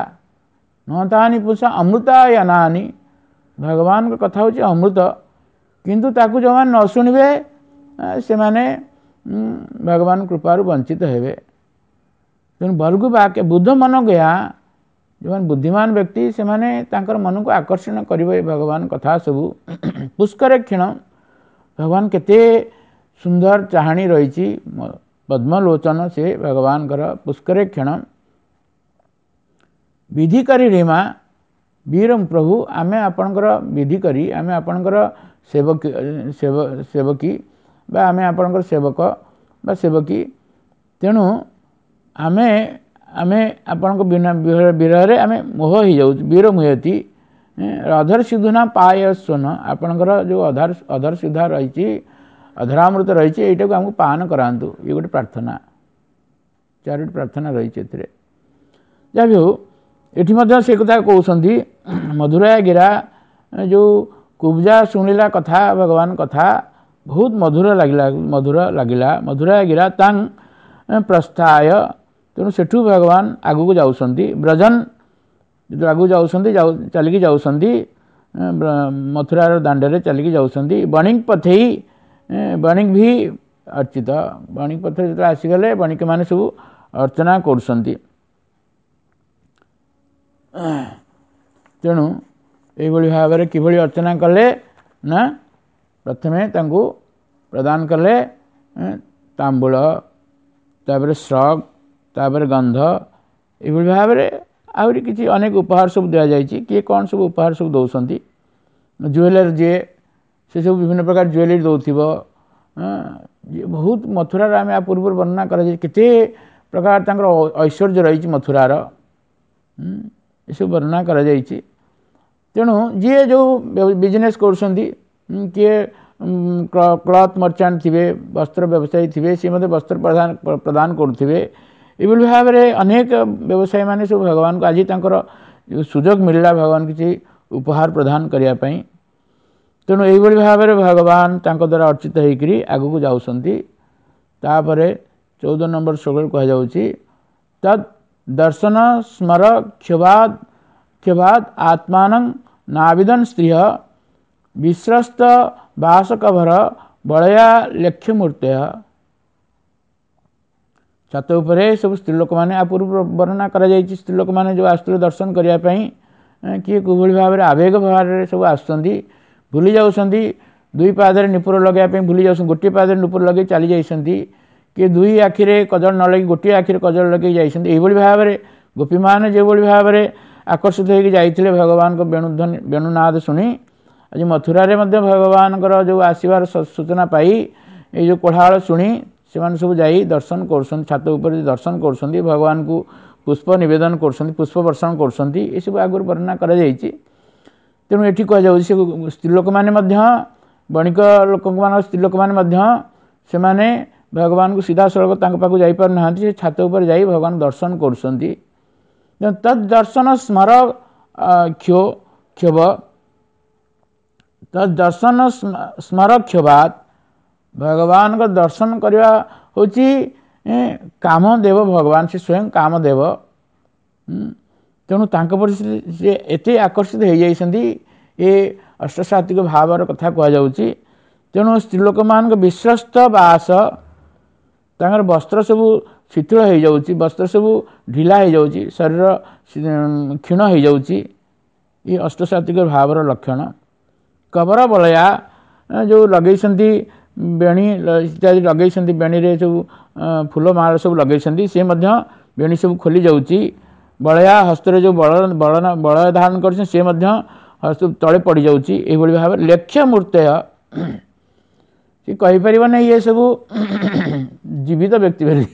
ନତାନି ପୁଷା ଅମୃତାୟନାନି, ଭଗବାନଙ୍କ କଥା ହେଉଛି ଅମୃତ, କିନ୍ତୁ ତାକୁ ଯେଉଁମାନେ ନ ଶୁଣିବେ ସେମାନେ ଭଗବାନ କୃପାରୁ ବଞ୍ଚିତ ହେବେ। ତେଣୁ ବର୍ଗୁ ବାକ୍ୟ ବୁଦ୍ଧ ମନ ଗୟା, ଯେଉଁମାନେ ବୁଦ୍ଧିମାନ ବ୍ୟକ୍ତି ସେମାନେ ତାଙ୍କର ମନକୁ ଆକର୍ଷଣ କରିବ ଏ ଭଗବାନ କଥା ସବୁ। ପୁଷ୍କରେ କ୍ଷୀଣ, ଭଗବାନ କେତେ ସୁନ୍ଦର ଚାହାଣୀ ରହିଛି, ପଦ୍ମଲୋଚନ ସେ ଭଗବାନଙ୍କର। ପୁଷ୍କରେ କ୍ଷୀଣ ବିଧି କରି ରିମା ବୀର ପ୍ରଭୁ, ଆମେ ଆପଣଙ୍କର ବିଧି କରି, ଆମେ ଆପଣଙ୍କର ସେବକୀ, ସେବକୀ ବା ଆମେ ଆପଣଙ୍କର ସେବକ ବା ସେବକୀ। ତେଣୁ ଆମେ ଆମେ ଆପଣଙ୍କ ବିନା ବିରହରେ ଆମେ ମୋହ ହେଇଯାଉଛୁ। ବୀର ମୁହତି ଅଧର ସିଧୁନା ପାୟସ୍ୱନ, ଆପଣଙ୍କର ଯେଉଁ ଅଧର ଅଧର ସିଧା ରହିଛି, ଅଧରାମୃତ ରହିଛି, ଏଇଟାକୁ ଆମକୁ ପାନ କରାନ୍ତୁ। ଇଏ ଗୋଟେ ପ୍ରାର୍ଥନା, ଚାରୋଟି ପ୍ରାର୍ଥନା ରହିଛି ଏଥିରେ। ଯାହା ବି ହଉ, ଏଠି ମଧ୍ୟ ସେ କଥା କହୁଛନ୍ତି, ମଧୁରା ଗିରା, ଯେଉଁ କୁବଜା ଶୁଣିଲା କଥା, ଭଗବାନ କଥା ବହୁତ ମଧୁର ଲାଗିଲା, ମଧୁର ଲାଗିଲା। ମଧୁରା ଗିରା ତାଂ ପ୍ରସ୍ଥାୟ, ତେଣୁ ସେଠୁ ଭଗବାନ ଆଗକୁ ଯାଉଛନ୍ତି। ବ୍ରଜନ ଯେତେବେଳେ ଆଗକୁ ଯାଉଛନ୍ତି, ଯାଉ ଚାଲିକି ଯାଉଛନ୍ତି, ମଥୁରାର ଦାଣ୍ଡରେ ଚାଲିକି ଯାଉଛନ୍ତି। ବଣିକ ପଥେଇ ବଣିକ ବି ଅର୍ଚିତ, ବଣିକ ପଥରେ ଯେତେବେଳେ ଆସିଗଲେ ବଣିକମାନେ ସବୁ ଅର୍ଚ୍ଚନା କରୁଛନ୍ତି। ତେଣୁ ଏଇଭଳି ଭାବରେ କିଭଳି ଅର୍ଚ୍ଚନା କଲେ ନା, ପ୍ରଥମେ ତାଙ୍କୁ ପ୍ରଦାନ କଲେ ତାମ୍ବୁଳ, ତାପରେ ଶ୍ରକ୍, ତାପରେ ଗନ୍ଧ, ଏଇଭଳି ଭାବରେ ଆହୁରି କିଛି ଅନେକ ଉପହାର ସବୁ ଦିଆଯାଇଛି। କିଏ କ'ଣ ସବୁ ଉପହାର ସବୁ ଦେଉଛନ୍ତି। ଜୁଏଲର ଯିଏ ସେ ସବୁ ବିଭିନ୍ନ ପ୍ରକାର ଜୁଏଲେରୀ ଦେଉଥିବ। ବହୁତ ମଥୁରାର ଆମେ ଆ ପୂର୍ବରୁ ବର୍ଣ୍ଣନା କରାଯାଇଛି କେତେ ପ୍ରକାର ତାଙ୍କର ଐଶ୍ୱର୍ଯ୍ୟ ରହିଛି ମଥୁରାର, ଏସବୁ ବର୍ଣ୍ଣନା କରାଯାଇଛି। ତେଣୁ ଯିଏ ଯେଉଁ ବିଜନେସ୍ କରୁଛନ୍ତି, କିଏ କ୍ଲଥ୍ ମର୍ଚାଣ୍ଟ ଥିବେ, ବସ୍ତ୍ର ବ୍ୟବସାୟୀ ଥିବେ, ସିଏ ମଧ୍ୟ ବସ୍ତ୍ର ପ୍ରଦାନ ପ୍ରଦାନ କରୁଥିବେ। ଏଭଳି ଭାବରେ ଅନେକ ବ୍ୟବସାୟୀମାନେ ସବୁ ଭଗବାନଙ୍କୁ ଆଜି ତାଙ୍କର ସୁଯୋଗ ମିଳିଲା ଭଗବାନ କିଛି ଉପହାର ପ୍ରଦାନ କରିବା ପାଇଁ। ତେଣୁ ଏଇଭଳି ଭାବରେ ଭଗବାନ ତାଙ୍କ ଦ୍ୱାରା ଅର୍ଚିତ ହେଇକରି ଆଗକୁ ଯାଉଛନ୍ତି। ତାପରେ ଚଉଦ ନମ୍ବର ଶ୍ଲୋକରେ କୁହାଯାଉଛି ତଦ୍ ଦର୍ଶନ ସ୍ମର କ୍ଷୋଭାଦ କ୍ଷୋଭାଦ ଆତ୍ମାନଂ ନାବିଦନ ସ୍ତ୍ରୀୟ ବିଶ୍ରସ୍ତ ବାସକଭର ବଳୟା ଲେଖ୍ୟ ମୂର୍ତ୍ତୟ। ଛାତ ଉପରେ ସବୁ ସ୍ତ୍ରୀ ଲୋକମାନେ, ଆ ପୂର୍ବରୁ ବର୍ଣ୍ଣନା କରାଯାଇଛି, ସ୍ତ୍ରୀ ଲୋକମାନେ ଯେଉଁ ଆସୁଥିଲେ ଦର୍ଶନ କରିବା ପାଇଁ, କିଏ କିଭଳି ଭାବରେ ଆବେଗ ଭାବରେ ସବୁ ଆସୁଛନ୍ତି, ଭୁଲି ଯାଉଛନ୍ତି, ଦୁଇ ପାଦରେ ନିପୁର ଲଗାଇବା ପାଇଁ ଭୁଲି ଯାଉଛନ୍ତି, ଗୋଟିଏ ପାଦରେ ନିପୁର ଲଗାଇ ଚାଲି ଯାଇଛନ୍ତି, କିଏ ଦୁଇ ଆଖିରେ କଜଳ ନ ଲଗେଇ ଗୋଟିଏ ଆଖିରେ କଜଳ ଲଗେଇ ଯାଇଛନ୍ତି। ଏଇଭଳି ଭାବରେ ଗୋପୀମାନେ ଯେଉଁଭଳି ଭାବରେ ଆକର୍ଷିତ ହେଇକି ଯାଇଥିଲେ ଭଗବାନଙ୍କ ବେଣୁଧ୍ୱନି ବେଣୁନାଦ ଶୁଣି, ଆଜି ମଥୁରାରେ ମଧ୍ୟ ଭଗବାନଙ୍କର ଯେଉଁ ଆସିବାର ସୂଚନା ପାଇ ଏଇ ଯେଉଁ କୋଳାହଳ ଶୁଣି ସେମାନେ ସବୁ ଯାଇ ଦର୍ଶନ କରୁଛନ୍ତି, ଛାତ ଉପରେ ଦର୍ଶନ କରୁଛନ୍ତି, ଭଗବାନଙ୍କୁ ପୁଷ୍ପ ନିବେଦନ କରୁଛନ୍ତି, ପୁଷ୍ପ ବର୍ଷଣ କରୁଛନ୍ତି। ଏସବୁ ଆଗରୁ ବର୍ଣ୍ଣନା କରାଯାଇଛି। ତେଣୁ ଏଠି କୁହାଯାଉଛି ସେ ସ୍ତ୍ରୀ ଲୋକମାନେ ମଧ୍ୟ, ବଣିକ ଲୋକମାନଙ୍କ ସ୍ତ୍ରୀ ଲୋକମାନେ ମଧ୍ୟ ସେମାନେ ଭଗବାନଙ୍କୁ ସିଧାସଳଖ ତାଙ୍କ ପାଖକୁ ଯାଇପାରୁନାହାନ୍ତି, ସେ ଛାତ ଉପରେ ଯାଇ ଭଗବାନ ଦର୍ଶନ କରୁଛନ୍ତି। ତଦ୍ ଦର୍ଶନ ସ୍ମର କ୍ଷୋ କ୍ଷୋଭ ତଦ୍ ଦର୍ଶନ ସ୍ମର କ୍ଷୋଭାତ୍, ଭଗବାନଙ୍କ ଦର୍ଶନ କରିବା ହେଉଛି କାମଦେବ, ଭଗବାନ ସେ ସ୍ୱୟଂ କାମଦେବ। ତେଣୁ ତାଙ୍କ ପ୍ରତି ସେ ଏତେ ଆକର୍ଷିତ ହେଇଯାଇଛନ୍ତି, ଏ ଅଷ୍ଟସାତ୍ವಿକ ଭାବର କଥା କୁହାଯାଉଛି। ତେଣୁ ସ୍ତ୍ରୀ ଲୋକମାନଙ୍କ ବିଶ୍ୱସ୍ତ ବାସ, ତାଙ୍କର ବସ୍ତ୍ର ସବୁ ଶିଥିଳ ହେଇଯାଉଛି, ବସ୍ତ୍ର ସବୁ ଢିଲା ହେଇଯାଉଛି, ଶରୀର କ୍ଷୀଣ ହେଇଯାଉଛି, ଏ ଅଷ୍ଟସାତ୍ବିକ ଭାବର ଲକ୍ଷଣ। କବର ବଳୟା ଯେଉଁ ଲଗେଇଛନ୍ତି ବେଣୀ ଇତ୍ୟାଦି ଲଗେଇଛନ୍ତି, ବେଣୀରେ ସବୁ ଫୁଲ ମାଳ ସବୁ ଲଗେଇଛନ୍ତି, ସେ ମଧ୍ୟ ବେଣୀ ସବୁ ଖୋଲି ଯାଉଛି। ବଳୟା ହସ୍ତରେ ଯେଉଁ ବଳ ବଳନ ବଳୟ ଧାରଣ କରିଛନ୍ତି ସେ ମଧ୍ୟ ହସ୍ତ ତଳେ ପଡ଼ିଯାଉଛି। ଏଇଭଳି ଭାବରେ ଲେଖ୍ୟ ମୂର୍ତ୍ତୟ, ସେ କହିପାରିବ ନାହିଁ ଇଏ ସବୁ ଜୀବିତ ବ୍ୟକ୍ତି ବୋଲି।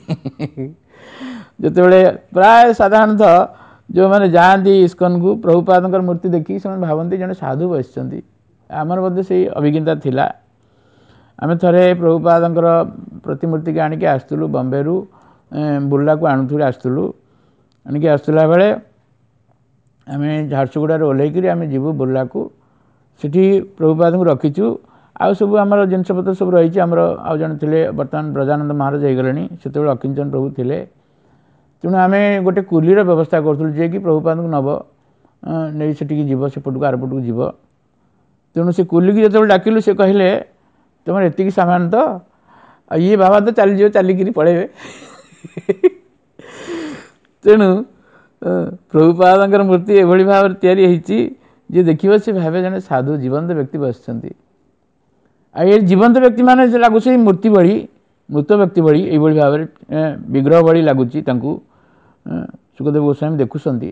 ଯେତେବେଳେ ପ୍ରାୟ ସାଧାରଣତଃ ଯେଉଁମାନେ ଯାଆନ୍ତି ଇସ୍କନକୁ, ପ୍ରଭୁପାଦଙ୍କର ମୂର୍ତ୍ତି ଦେଖିକି ସେମାନେ ଭାବନ୍ତି ଜଣେ ସାଧୁ ବସିଛନ୍ତି। ଆମର ମଧ୍ୟ ସେଇ ଅଭିଜ୍ଞତା ଥିଲା। ଆମେ ଥରେ ପ୍ରଭୁପାଦଙ୍କର ପ୍ରତିମୂର୍ତ୍ତିକି ଆଣିକି ଆସୁଥିଲୁ ବମ୍ବେରୁ, ବୁର୍ଲାକୁ ଆଣୁଥିଲୁ ଆସୁଥିଲୁ ଆଣିକି ଆସୁଥିଲା ବେଳେ ଆମେ ଝାରସୁଗୁଡ଼ାରେ ଓହ୍ଲେଇକିରି ଆମେ ଯିବୁ ବୁର୍ଲାକୁ। ସେଠି ପ୍ରଭୁପାଦଙ୍କୁ ରଖିଛୁ, ଆଉ ସବୁ ଆମର ଜିନିଷପତ୍ର ସବୁ ରହିଛି। ଆମର ଆଉ ଜଣେ ଥିଲେ, ବର୍ତ୍ତମାନ ବ୍ରଜାନନ୍ଦ ମହାରାଜ ହେଇଗଲେଣି, ସେତେବେଳେ ଅକିଞ୍ଚନ ପ୍ରଭୁ ଥିଲେ। ତେଣୁ ଆମେ ଗୋଟେ କୁଲିର ବ୍ୟବସ୍ଥା କରୁଥିଲୁ, ଯିଏକି ପ୍ରଭୁପାଦଙ୍କୁ ନେବ, ନେଇ ସେଠିକି ଯିବ, ସେପଟକୁ ଆରପଟକୁ ଯିବ। ତେଣୁ ସେ କୁଲିକି ଯେତେବେଳେ ଡାକିଲୁ, ସେ କହିଲେ ତୁମର ଏତିକି ସାମାନ ତ, ଆଉ ଇଏ ବାବା ତ ଚାଲିଯିବ, ଚାଲିକିରି ପଳେଇବେ। ତେଣୁ ପ୍ରଭୁପାଦଙ୍କର ମୂର୍ତ୍ତି ଏଭଳି ଭାବରେ ତିଆରି ହେଇଛି, ଯିଏ ଦେଖିବ ସେ ଭାବେ ଜଣେ ସାଧୁ ଜୀବନ୍ତ ବ୍ୟକ୍ତି ବସିଛନ୍ତି। ଆଉ ଏ ଜୀବନ୍ତ ବ୍ୟକ୍ତିମାନେ ସେ ଲାଗୁଛି ମୂର୍ତ୍ତି ଭଳି, ମୃତ ବ୍ୟକ୍ତି ଭଳି, ଏଇଭଳି ଭାବରେ ବିଗ୍ରହ ଭଳି ଲାଗୁଛି ତାଙ୍କୁ। ଶୁକଦେବ ଗୋସ୍ୱାମୀ ଦେଖୁଛନ୍ତି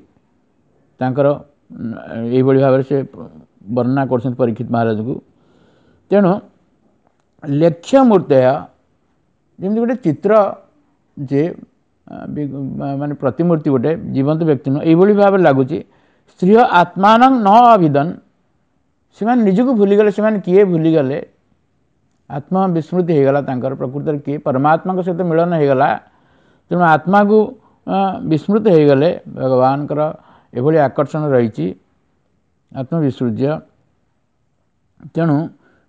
ତାଙ୍କର ଏଇଭଳି ଭାବରେ ସେ ବର୍ଣ୍ଣନା କରୁଛନ୍ତି ପରୀକ୍ଷିତ ମହାରାଜଙ୍କୁ। ତେଣୁ ଲେଖ୍ୟ ମୂର୍ତ୍ତୟ, ଯେମିତି ଗୋଟେ ଚିତ୍ର ଯେ ମାନେ ପ୍ରତିମୂର୍ତ୍ତି ଗୋଟେ ଜୀବନ୍ତ ବ୍ୟକ୍ତି ନୁହଁ, ଏଇଭଳି ଭାବରେ ଲାଗୁଛି। ସ୍ତ୍ରୀୟ ଆତ୍ମାନଂ ନ ଅଭିଦନ, ସେମାନେ ନିଜକୁ ଭୁଲିଗଲେ, ସେମାନେ କିଏ ଭୁଲିଗଲେ, ଆତ୍ମବିସ୍ମୃତି ହେଇଗଲା ତାଙ୍କର, ପ୍ରକୃତରେ କିଏ ପରମାତ୍ମାଙ୍କ ସହିତ ମିଳନ ହେଇଗଲା। ତେଣୁ ଆତ୍ମାକୁ ବିସ୍ମୃତ ହେଇଗଲେ, ଭଗବାନଙ୍କର ଏଭଳି ଆକର୍ଷଣ ରହିଛି, ଆତ୍ମବିସୃଜ୍ୟ। ତେଣୁ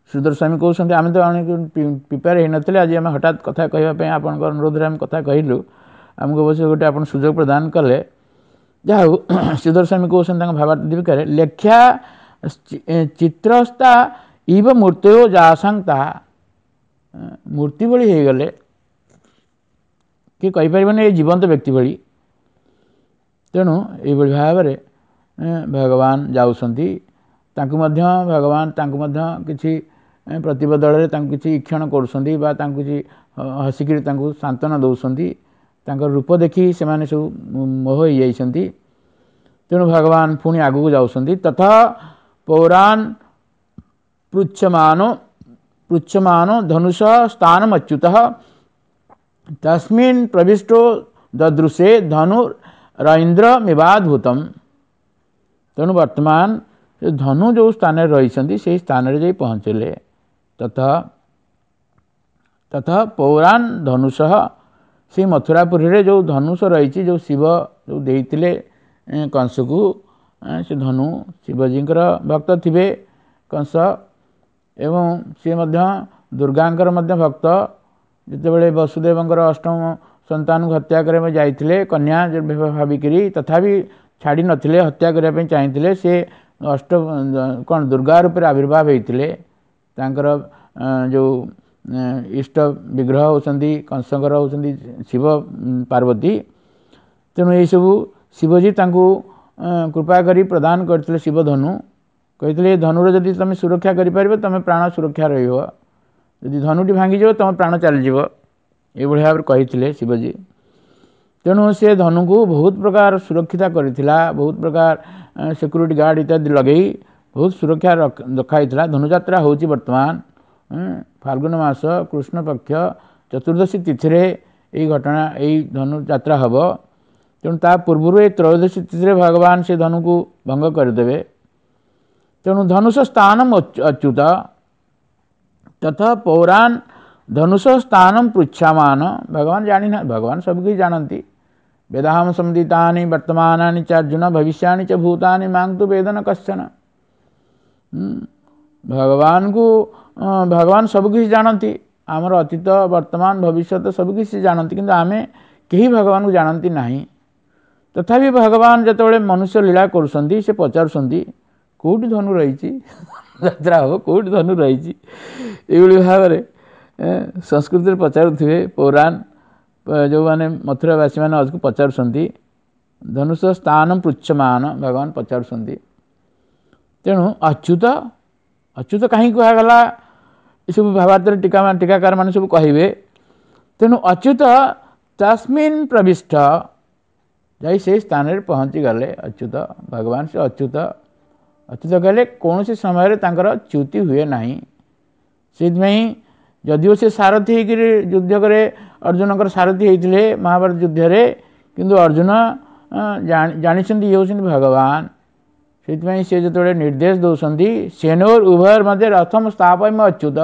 ଶ୍ରୀଧର ସ୍ୱାମୀ କହୁଛନ୍ତି ଆମେ ତ ପ୍ରିପେୟାର ହେଇନଥିଲେ, ଆଜି ଆମେ ହଠାତ୍ କଥା କହିବା ପାଇଁ ଆପଣଙ୍କ ଅନୁରୋଧରେ ଆମେ କଥା କହିଲୁ, ଆମକୁ ଅବଶ୍ୟ ଗୋଟେ ଆପଣ ସୁଯୋଗ ପ୍ରଦାନ କଲେ। ଯାହା ହଉ, ଶ୍ରୀଧର ସ୍ୱାମୀ କହୁଛନ୍ତି ତାଙ୍କ ଭାବାର୍ଥ ଦୀପିକାରେ, ଲେଖ୍ୟା ଚିତ୍ରସ୍ତା ଇବ ମୂର୍ତ୍ତୟୋ ଯାସାଂ ତାହା, ମୂର୍ତ୍ତି ଭଳି ହେଇଗଲେ, କିଏ କହିପାରିବନି ଏ ଜୀବନ୍ତ ବ୍ୟକ୍ତି ଭଳି। ତେଣୁ ଏଇଭଳି ଭାବରେ ଭଗବାନ ଯାଉଛନ୍ତି, ତାଙ୍କୁ ମଧ୍ୟ ଭଗବାନ ତାଙ୍କୁ ମଧ୍ୟ କିଛି ପ୍ରତିବଦଳରେ ତାଙ୍କୁ କିଛି ଈକ୍ଷଣ କରୁଛନ୍ତି ବା ତାଙ୍କୁ କିଛି ହସିକିରି ତାଙ୍କୁ ସାନ୍ତ୍ୱନା ଦେଉଛନ୍ତି। ତାଙ୍କର ରୂପ ଦେଖି ସେମାନେ ସବୁ ମୋହ ହେଇଯାଇଛନ୍ତି। ତେଣୁ ଭଗବାନ ପୁଣି ଆଗକୁ ଯାଉଛନ୍ତି। ତଥା ପୌରାଣ ପୃଚ୍ଛମାନ ପୃଚ୍ଛମାନ ଧନୁଷ ସ୍ଥାନମଚ୍ୟୁତ ତସ୍ମିନ୍ ପ୍ରବିଷ୍ଟୋ ଦଦୃଶେ ଧନୁ ରଇନ୍ଦ୍ରମିବାଦ୍ଭୁତମ୍। ତେଣୁ ବର୍ତ୍ତମାନ ସେ ଧନୁ ଯେଉଁ ସ୍ଥାନରେ ରହିଛନ୍ତି ସେଇ ସ୍ଥାନରେ ଯାଇ ପହଞ୍ଚିଲେ। ତଥା ତଥା ପୌରାଣ ଧନୁଷଃ ସେଇ ମଥୁରାପୁରୀରେ ଯେଉଁ ଧନୁଷ ରହିଛି, ଯେଉଁ ଶିବ ଯେଉଁ ଦେଇଥିଲେ କଂସକୁ ସେ ଧନୁ, ଶିବଜୀଙ୍କର ଭକ୍ତ ଥିବେ କଂସ, ଏବଂ ସିଏ ମଧ୍ୟ ଦୁର୍ଗାଙ୍କର ମଧ୍ୟ ଭକ୍ତ। ଯେତେବେଳେ ବସୁଦେବଙ୍କର ଅଷ୍ଟମ ସନ୍ତାନକୁ ହତ୍ୟା କରିବା ପାଇଁ ଯାଇଥିଲେ, କନ୍ୟା ଭାବିକିରି ତଥାପି ଛାଡ଼ି ନଥିଲେ, ହତ୍ୟା କରିବା ପାଇଁ ଚାହିଁଥିଲେ, ସେ ଅଷ୍ଟ କ'ଣ ଦୁର୍ଗା ରୂପରେ ଆବିର୍ଭାବ ହେଇଥିଲେ। ତାଙ୍କର ଯେଉଁ ଇଷ୍ଟ ବିଗ୍ରହ ହେଉଛନ୍ତି କଂସଙ୍କର ହେଉଛନ୍ତି ଶିବ ପାର୍ବତୀ। ତେଣୁ ଏଇସବୁ ଶିବଜୀ ତାଙ୍କୁ କୃପା କରି ପ୍ରଦାନ କରିଥିଲେ ଶିବଧନୁ। କହିଥିଲେ, ଏ ଧନୁର ଯଦି ତୁମେ ସୁରକ୍ଷା କରିପାରିବ, ତୁମେ ପ୍ରାଣ ସୁରକ୍ଷା ରହିବ, ଯଦି ଧନୁଟି ଭାଙ୍ଗିଯିବ ତୁମ ପ୍ରାଣ ଚାଲିଯିବ। ଏଇଭଳି ଭାବରେ କହିଥିଲେ ଶିବଜୀ। ତେଣୁ ସେ ଧନୁକୁ ବହୁତ ପ୍ରକାର ସୁରକ୍ଷିତ କରିଥିଲା, ବହୁତ ପ୍ରକାର ସିକ୍ୟୁରିଟି ଗାର୍ଡ଼ ଇତ୍ୟାଦି ଲଗେଇ ବହୁତ ସୁରକ୍ଷା ରଖାହେଇଥିଲା। ଧନୁଯାତ୍ରା ହେଉଛି ବର୍ତ୍ତମାନ ଫାଲ୍ଗୁନ ମାସ କୃଷ୍ଣ ପକ୍ଷ ଚତୁର୍ଦ୍ଦଶୀ ତିଥିରେ ଏଇ ଘଟଣା, ଏଇ ଧନୁଯାତ୍ରା ହେବ। ତେଣୁ ତା ପୂର୍ବରୁ ଏ ତ୍ରୟୋଦଶୀ ତିଥିରେ ଭଗବାନ ସେ ଧନୁକୁ ଭଙ୍ଗ କରିଦେବେ। ତେଣୁ ଧନୁଷ ସ୍ଥାନମ ଅଚ୍ୟୁତ ତଥା ପୌରାଣ ଧନୁଷ ସ୍ଥାନମ ପୃଚ୍ଛାମାନ। ଭଗବାନ ଜାଣିନା, ଭଗବାନ ସବୁକିଛି ଜାଣନ୍ତି। ବେଦାହମ ସମଦିତାନି ବର୍ତ୍ତମାନାନି ଚାର୍ଜୁନ ଭବିଷ୍ୟାଣି ଚ ଭୂତାନି ମାଂ ତୁ ବେଦନ କଶ୍ଚନ। ଭଗବାନଙ୍କୁ, ଭଗବାନ ସବୁକିଛି ଜାଣନ୍ତି, ଆମର ଅତୀତ ବର୍ତ୍ତମାନ ଭବିଷ୍ୟତ ସବୁକିଛି ଜାଣନ୍ତି, କିନ୍ତୁ ଆମେ କେହି ଭଗବାନଙ୍କୁ ଜାଣନ୍ତି ନାହିଁ। ତଥାପି ଭଗବାନ ଯେତେବେଳେ ମନୁଷ୍ୟ ଲୀଳା କରୁଛନ୍ତି, ସେ ପଚାରୁଛନ୍ତି କେଉଁଠି ଧନୁ ରହିଛି, ଯାତ୍ରା ହେବ, କେଉଁଠି ଧନୁ ରହିଛି। ଏଇଭଳି ଭାବରେ ସଂସ୍କୃତିରେ ପଚାରୁଥିବେ ପୌରାଣ ଯେଉଁମାନେ ମଥୁରାବାସୀମାନେ ପଚାରୁଛନ୍ତି, ଧନୁଷ ସ୍ଥାନ ପୃଚ୍ଛମାନ ଭଗବାନ ପଚାରୁଛନ୍ତି। ତେଣୁ ଅଚ୍ୟୁତ, ଅଚ୍ୟୁତ କାହିଁକି କୁହାଗଲା, ଏସବୁ ଭାବାର୍ଥରେ ଟୀକା ଟୀକାକାର ମାନେ ସବୁ କହିବେ। ତେଣୁ ଅଚ୍ୟୁତ ତସ୍ମିନ୍ ପ୍ରବିଷ୍ଟ, ଯାଇ ସେଇ ସ୍ଥାନରେ ପହଞ୍ଚିଗଲେ ଅଚ୍ୟୁତ ଭଗବାନ। ସେ ଅଚ୍ୟୁତ, ଅଚ୍ୟୁତ କହିଲେ କୌଣସି ସମୟରେ ତାଙ୍କର ଚ୍ୟୁତି ହୁଏ ନାହିଁ। ସେଇଥିପାଇଁ ଯଦିଓ ସେ ସାରଥି ହେଇକିରି ଯୁଦ୍ଧ କରେ, ଅର୍ଜୁନଙ୍କର ସାରଥି ହେଇଥିଲେ ମହାଭାରତ ଯୁଦ୍ଧରେ, କିନ୍ତୁ ଅର୍ଜୁନ ଜାଣିଛନ୍ତି ଇଏ ହେଉଛନ୍ତି ଭଗବାନ। ସେଇଥିପାଇଁ ସେ ଯେତେବେଳେ ନିର୍ଦ୍ଦେଶ ଦେଉଛନ୍ତି, ସେନୋର ଉଭୟର ମଧ୍ୟ ରଥମ ସ୍ଥାପନ ଅଚ୍ୟୁତ,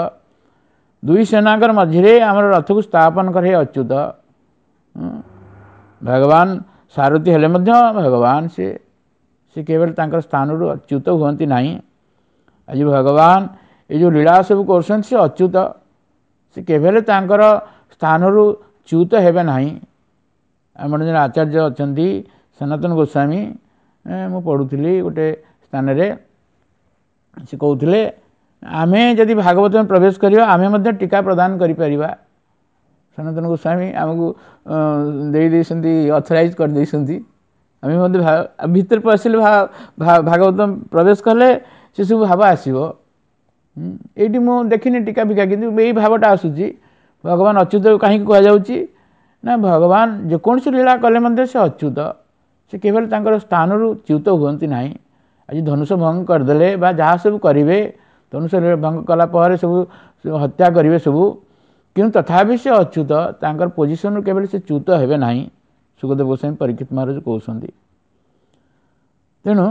ଦୁଇ ସେନାଙ୍କର ମଝିରେ ଆମର ରଥକୁ ସ୍ଥାପନ କରେ ଅଚ୍ୟୁତ। ଭଗବାନ ସାରଥି ହେଲେ ମଧ୍ୟ ଭଗବାନ ସେ ସେ କେବଳ ତାଙ୍କର ସ୍ଥାନରୁ ଅଚ୍ୟୁତ ହୁଅନ୍ତି ନାହିଁ। ଆଜି ଭଗବାନ ଏ ଯେଉଁ ଲୀଳା ସବୁ କରୁଛନ୍ତି, ସେ ଅଚ୍ୟୁତ, ସେ କେବେ ହେଲେ ତାଙ୍କର ସ୍ଥାନରୁ ଚ୍ୟୁତ ହେବେ ନାହିଁ। ଆମର ଜଣେ ଆଚାର୍ଯ୍ୟ ଅଛନ୍ତି ସନାତନ ଗୋସ୍ୱାମୀ, ମୁଁ ପଢ଼ୁଥିଲି ଗୋଟେ ସ୍ଥାନରେ, ସେ କହୁଥିଲେ ଆମେ ଯଦି ଭାଗବତରେ ପ୍ରବେଶ କରିବା, ଆମେ ମଧ୍ୟ ଟୀକା ପ୍ରଦାନ କରିପାରିବା। ସନାତନ ଗୋସ୍ୱାମୀ ଆମକୁ ଦେଇ ଦେଇଛନ୍ତି, ଅଥରାଇଜ୍ କରିଦେଇଛନ୍ତି। ଆମେ ମଧ୍ୟ ଭିତରେ ପଶିଲେ, ଭାଗବତ ପ୍ରବେଶ କଲେ ସେସବୁ ଭାବ ଆସିବ। ଏଇଠି ମୁଁ ଦେଖିନି ଟୀକା ଫିକା, କିନ୍ତୁ ଏଇ ଭାବଟା ଆସୁଛି। ଭଗବାନ ଅଚ୍ୟୁତ କାହିଁକି କୁହାଯାଉଛି ନା, ଭଗବାନ ଯେକୌଣସି ଲୀଳା କଲେ ମଧ୍ୟ ସେ ଅଚ୍ୟୁତ, ସେ କେବଳ ତାଙ୍କର ସ୍ଥାନରୁ ଚ୍ୟୁତ ହୁଅନ୍ତି ନାହିଁ। ଆଜି ଧନୁଷ ଭଙ୍ଗ କରିଦେଲେ ବା ଯାହା ସବୁ କରିବେ, ଧନୁଷ ଭଙ୍ଗ କଲା ପରେ ସବୁ ହତ୍ୟା କରିବେ ସବୁ, କିନ୍ତୁ ତଥାପି ସେ ଅଚ୍ୟୁତ, ତାଙ୍କର ପୋଜିସନରୁ କେବେ ସେ ଚ୍ୟୁତ ହେବେ ନାହିଁ, ସୁଖଦେବ ଗୋସ୍ୱାମୀ ପରୀକ୍ଷିତ ମହାରାଜ କହୁଛନ୍ତି। ତେଣୁ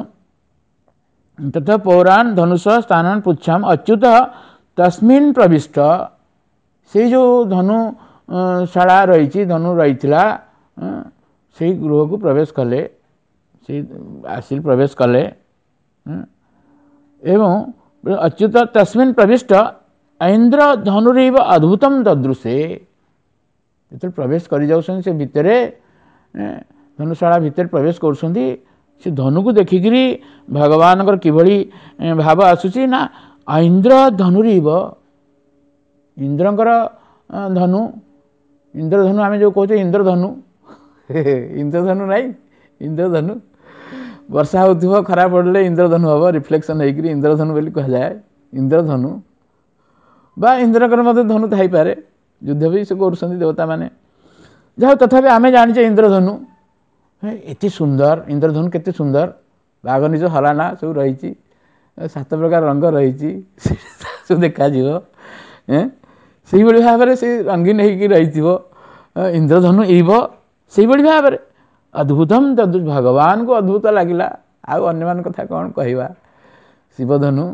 ତଥା ପୌରାଣ ଧନୁଷ ସ୍ଥାନ ପୁଚ୍ଛାମ ଅଚ୍ୟୁତ ତସ୍ମିନ୍ ପ୍ରବିଷ୍ଟ, ସେଇ ଯେଉଁ ଧନୁ ଶାଳା ରହିଛି, ଧନୁ ରହିଥିଲା, ସେଇ ଗୃହକୁ ପ୍ରବେଶ କଲେ, ସେଇ ଆସିଲେ ପ୍ରବେଶ କଲେ। ଏବଂ ଅଚ୍ୟୁତ ତସ୍ମିନ୍ ପ୍ରବିଷ୍ଟ ଇନ୍ଦ୍ର ଧନୁରିବ ଅଦ୍ଭୁତମ ଦଦୃଶେ। ଯେତେବେଳେ ପ୍ରବେଶ କରିଯାଉଛନ୍ତି ସେ ଭିତରେ, ଧନୁଶାଳା ଭିତରେ ପ୍ରବେଶ କରୁଛନ୍ତି, ସେ ଧନୁକୁ ଦେଖିକିରି ଭଗବାନଙ୍କର କିଭଳି ଭାବ ଆସୁଛି ନା, ଇନ୍ଦ୍ର ଧନୁରିବ, ଇନ୍ଦ୍ରଙ୍କର ଧନୁ, ଇନ୍ଦ୍ରଧନୁ ଆମେ ଯେଉଁ କହୁଛେ ଇନ୍ଦ୍ରଧନୁ, ଇନ୍ଦ୍ରଧନୁ ନାହିଁ, ଇନ୍ଦ୍ରଧନୁ ବର୍ଷା ହେଉଥିବ, ଖରା ପଡ଼ିଲେ ଇନ୍ଦ୍ରଧନୁ ହେବ, ରିଫ୍ଲେକ୍ସନ୍ ହେଇକିରି ଇନ୍ଦ୍ରଧନୁ ବୋଲି କୁହାଯାଏ। ଇନ୍ଦ୍ରଧନୁ ବା ଇନ୍ଦ୍ରଙ୍କର ମଧ୍ୟ ଧନୁ ଥାଇପାରେ, ଯୁଦ୍ଧ ବି ସେ କରୁଛନ୍ତି ଦେବତାମାନେ, ଯାହା ତଥାପି ଆମେ ଜାଣିଛେ ଇନ୍ଦ୍ରଧନୁ ଏତେ ସୁନ୍ଦର, ଇନ୍ଦ୍ରଧନୁ କେତେ ସୁନ୍ଦର, ବାଘ ନିଜ ହଲାନା ସବୁ ରହିଛି, ସାତ ପ୍ରକାର ରଙ୍ଗ ରହିଛି, ସବୁ ଦେଖାଯିବ। ସେଇଭଳି ଭାବରେ ସେ ରଙ୍ଗୀନ ହେଇକି ରହିଥିବ ଇନ୍ଦ୍ରଧନୁ ଇବ, ସେଇଭଳି ଭାବରେ ଅଦ୍ଭୁତମ ଭଗବାନଙ୍କୁ ଅଦ୍ଭୁତ ଲାଗିଲା। ଆଉ ଅନ୍ୟମାନଙ୍କ କଥା କ'ଣ କହିବା? ଶିବଧନୁ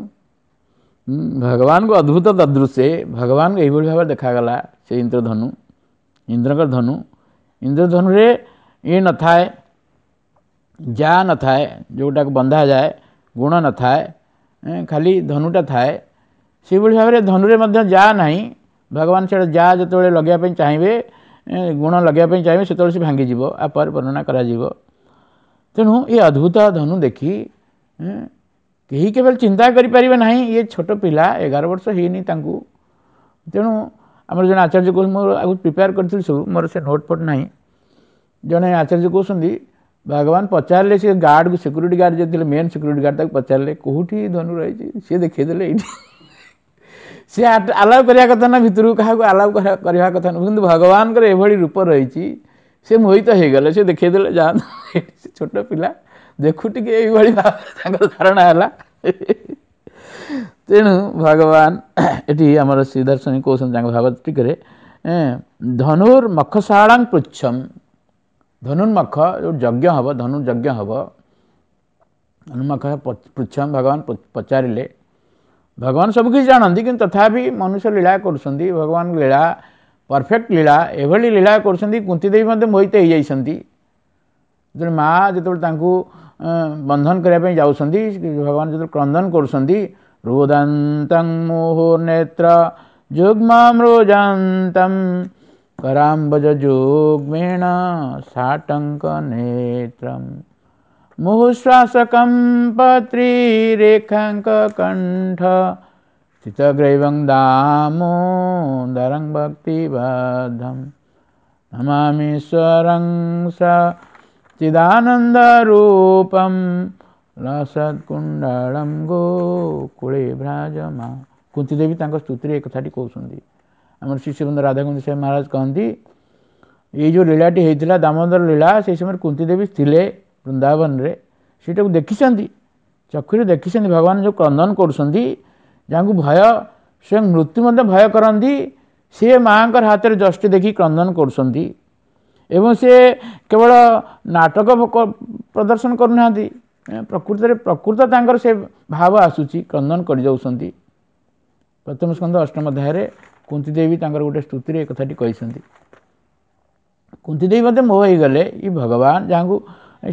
ଭଗବାନଙ୍କୁ ଅଦ୍ଭୁତ ଦଦୃଶ୍ୟେ, ଭଗବାନଙ୍କୁ ଏଇଭଳି ଭାବରେ ଦେଖାଗଲା ସେ ଇନ୍ଦ୍ରଧନୁ, ଇନ୍ଦ୍ରଙ୍କର ଧନୁ। ଇନ୍ଦ୍ରଧନୁରେ ଇଏ ନଥାଏ, ଯା ନଥାଏ, ଯେଉଁଟାକୁ ବନ୍ଧାଯାଏ, ଗୁଣ ନଥାଏ, ଖାଲି ଧନୁଟା ଥାଏ। ସେଇଭଳି ଭାବରେ ଧନୁରେ ମଧ୍ୟ ଯା ନାହିଁ। ଭଗବାନ ସେଇଟା ଯା ଯେତେବେଳେ ଲଗାଇବା ପାଇଁ ଚାହିଁବେ, ଗୁଣ ଲଗାଇବା ପାଇଁ ଚାହିଁବେ, ସେତେବେଳେ ସେ ଭାଙ୍ଗିଯିବ, ଆ ପରେ ବର୍ଣ୍ଣନା କରାଯିବ। ତେଣୁ ଏ ଅଦ୍ଭୁତ ଧନୁ ଦେଖି କେହି କେବେ ଚିନ୍ତା କରିପାରିବେ ନାହିଁ, ଇଏ ଛୋଟ ପିଲା, ଏଗାର ବର୍ଷ ହେଇନି ତାଙ୍କୁ। ତେଣୁ ଆମର ଜଣେ ଆଚାର୍ଯ୍ୟ କହୁଛନ୍ତି, ମୋର ଆଗରୁ ପ୍ରିପେୟାର କରିଥିଲି ସବୁ, ମୋର ସେ ନୋଟ୍ ଫୋଟ୍ ନାହିଁ। ଜଣେ ଆଚାର୍ଯ୍ୟ କହୁଛନ୍ତି, ଭଗବାନ ପଚାରିଲେ ସେ ଗାର୍ଡ଼କୁ, ସିକ୍ୟୁରିଟି ଗାର୍ଡ଼ ଯିଏ ଥିଲେ, ମେନ୍ ସିକ୍ୟୁରିଟି ଗାର୍ଡ଼, ତାକୁ ପଚାରିଲେ କେଉଁଠି ଧନୁ ରହିଛି, ସିଏ ଦେଖେଇଦେଲେ ଏଇଠି। ସିଏ ଆଲାଉ କରିବା କଥା ନା, ଭିତରକୁ କାହାକୁ ଆଲାଉ କରିବା କଥା ନୁହଁ, କିନ୍ତୁ ଭଗବାନଙ୍କର ଏଭଳି ରୂପ ରହିଛି, ସେ ମୋହିତ ହେଇଗଲେ, ସେ ଦେଖେଇଦେଲେ ଯାଆନ୍ତୁ। ସେ ଛୋଟ ପିଲା ଦେଖୁ ଟିକେ, ଏଇଭଳି ଭାବରେ ତାଙ୍କର ଧାରଣା ହେଲା। ତେଣୁ ଭଗବାନ ଏଠି ଆମର ଶ୍ରୀଦର୍ଶନୀ କହୁଛନ୍ତି ତାଙ୍କ ଭାଗବତ ଟିକରେ, ଧନୁର୍ ମଖଶାଳାଂ ପୃଚ୍ଛମ୍, ଧନୁର୍ମଖ ଯେଉଁ ଯଜ୍ଞ ହେବ, ଧନୁ ଯଜ୍ଞ ହେବ, ଧନୁର୍ମଖ ପୃଚ୍ଛମ୍ ଭଗବାନ ପଚାରିଲେ। ଭଗବାନ ସବୁକିଛି ଜାଣନ୍ତି, କିନ୍ତୁ ତଥାପି ମନୁଷ୍ୟ ଲୀଳା କରୁଛନ୍ତି। ଭଗବାନ ଲୀଳା ପରଫେକ୍ଟ ଲୀଳା, ଏଭଳି ଲୀଳା କରୁଛନ୍ତି, କୁନ୍ତି ଦେବୀ ମଧ୍ୟ ମୋହିତ ହେଇଯାଇଛନ୍ତି। ଯେତେବେଳେ ମା ଯେତେବେଳେ ତାଙ୍କୁ ବନ୍ଧନ କରିବା ପାଇଁ ଯାଉଛନ୍ତି, ଭଗବାନ ଯେତେବେଳେ କ୍ରନ୍ଦନ କରୁଛନ୍ତି, ରୋଦନ୍ତଂ ମୋହ ନେତ୍ର ଯୁଗ୍ମం ରୋଜନ୍ତଂ କରାମ୍ବଜ ଯୁଗ୍ମେଣ ସାଟଙ୍କ ନେତ୍ରಂ ମୁହୁଶ୍ୱାସକಂ ପତ୍ରୀରେଖାଙ୍କ କଣ୍ଠ ସ୍ଥିତଗ୍ରୈବଂ ଦାମୋଦରଂ ଭକ୍ତିବଦ୍ଧಂ ନମାମୀଶ୍ୱରଂ ସ ଚିଦାନନ୍ଦରୂପಂ ଲସତ୍କୁଣ୍ଡଳಂ ଗୋକୁଳେ ଭ୍ରାଜମା। କୁନ୍ତି ଦେବୀ ତାଙ୍କ ସ୍ତୁତିରେ ଏ କଥାଟି କହୁଛନ୍ତି। ଆମର ଶିଷ୍ୟବୃନ୍ଦ ରାଧାକୁନ୍ଦ ସାହେବ ମହାରାଜ କହନ୍ତି, ଏଇ ଯେଉଁ ଲୀଳାଟି ହେଇଥିଲା ଦାମୋଦର ଲୀଳା, ସେଇ ସମୟରେ କୁନ୍ତି ଦେବୀ ଥିଲେ ବୃନ୍ଦାବନରେ, ସେଇଟାକୁ ଦେଖିଛନ୍ତି, ଚକ୍ଷୁରେ ଦେଖିଛନ୍ତି ଭଗବାନ ଯେଉଁ କ୍ରନ୍ଦନ କରୁଛନ୍ତି, ଯାହାଙ୍କୁ ଭୟ ସ୍ୱୟଂ ମୃତ୍ୟୁ ମଧ୍ୟ ଭୟ କରନ୍ତି, ସିଏ ମାଆଙ୍କର ହାତରେ ଯଷ୍ଟି ଦେଖି କ୍ରନ୍ଦନ କରୁଛନ୍ତି। ଏବଂ ସେ କେବଳ ନାଟକ ପ୍ରଦର୍ଶନ କରୁନାହାନ୍ତି, ପ୍ରକୃତରେ ପ୍ରକୃତ ତାଙ୍କର ସେ ଭାବ ଆସୁଛି, କ୍ରନ୍ଦନ କରିଯାଉଛନ୍ତି। ପ୍ରଥମ ସ୍କନ୍ଧ ଅଷ୍ଟମ ଅଧ୍ୟାୟରେ କୁନ୍ତି ଦେବୀ ତାଙ୍କର ଗୋଟେ ସ୍ତୁତିରେ ଏ କଥାଟି କହିଛନ୍ତି। କୁନ୍ତି ଦେବୀ ମଧ୍ୟ ମୋହ ହେଇଗଲେ, ଇ ଭଗବାନ ଯାହାଙ୍କୁ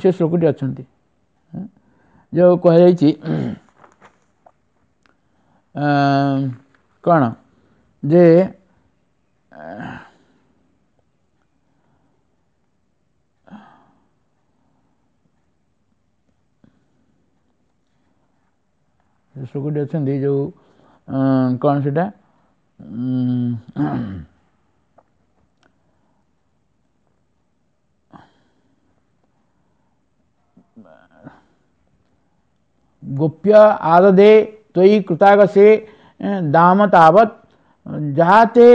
ସେ ଶ୍ଲୋକଟି ଅଛନ୍ତି, ଯେଉଁ କୁହାଯାଇଛି କ'ଣ ଯେ ଶ୍ଲୋକଟି ଅଛନ୍ତି ଯେଉଁ କ'ଣ ସେଟା, ଗୋପ୍ୟ ଆଦଦେ ତ୍ୱୟି କୃତାଗସେ ଦାମ ତାବତ୍ ଯାତେ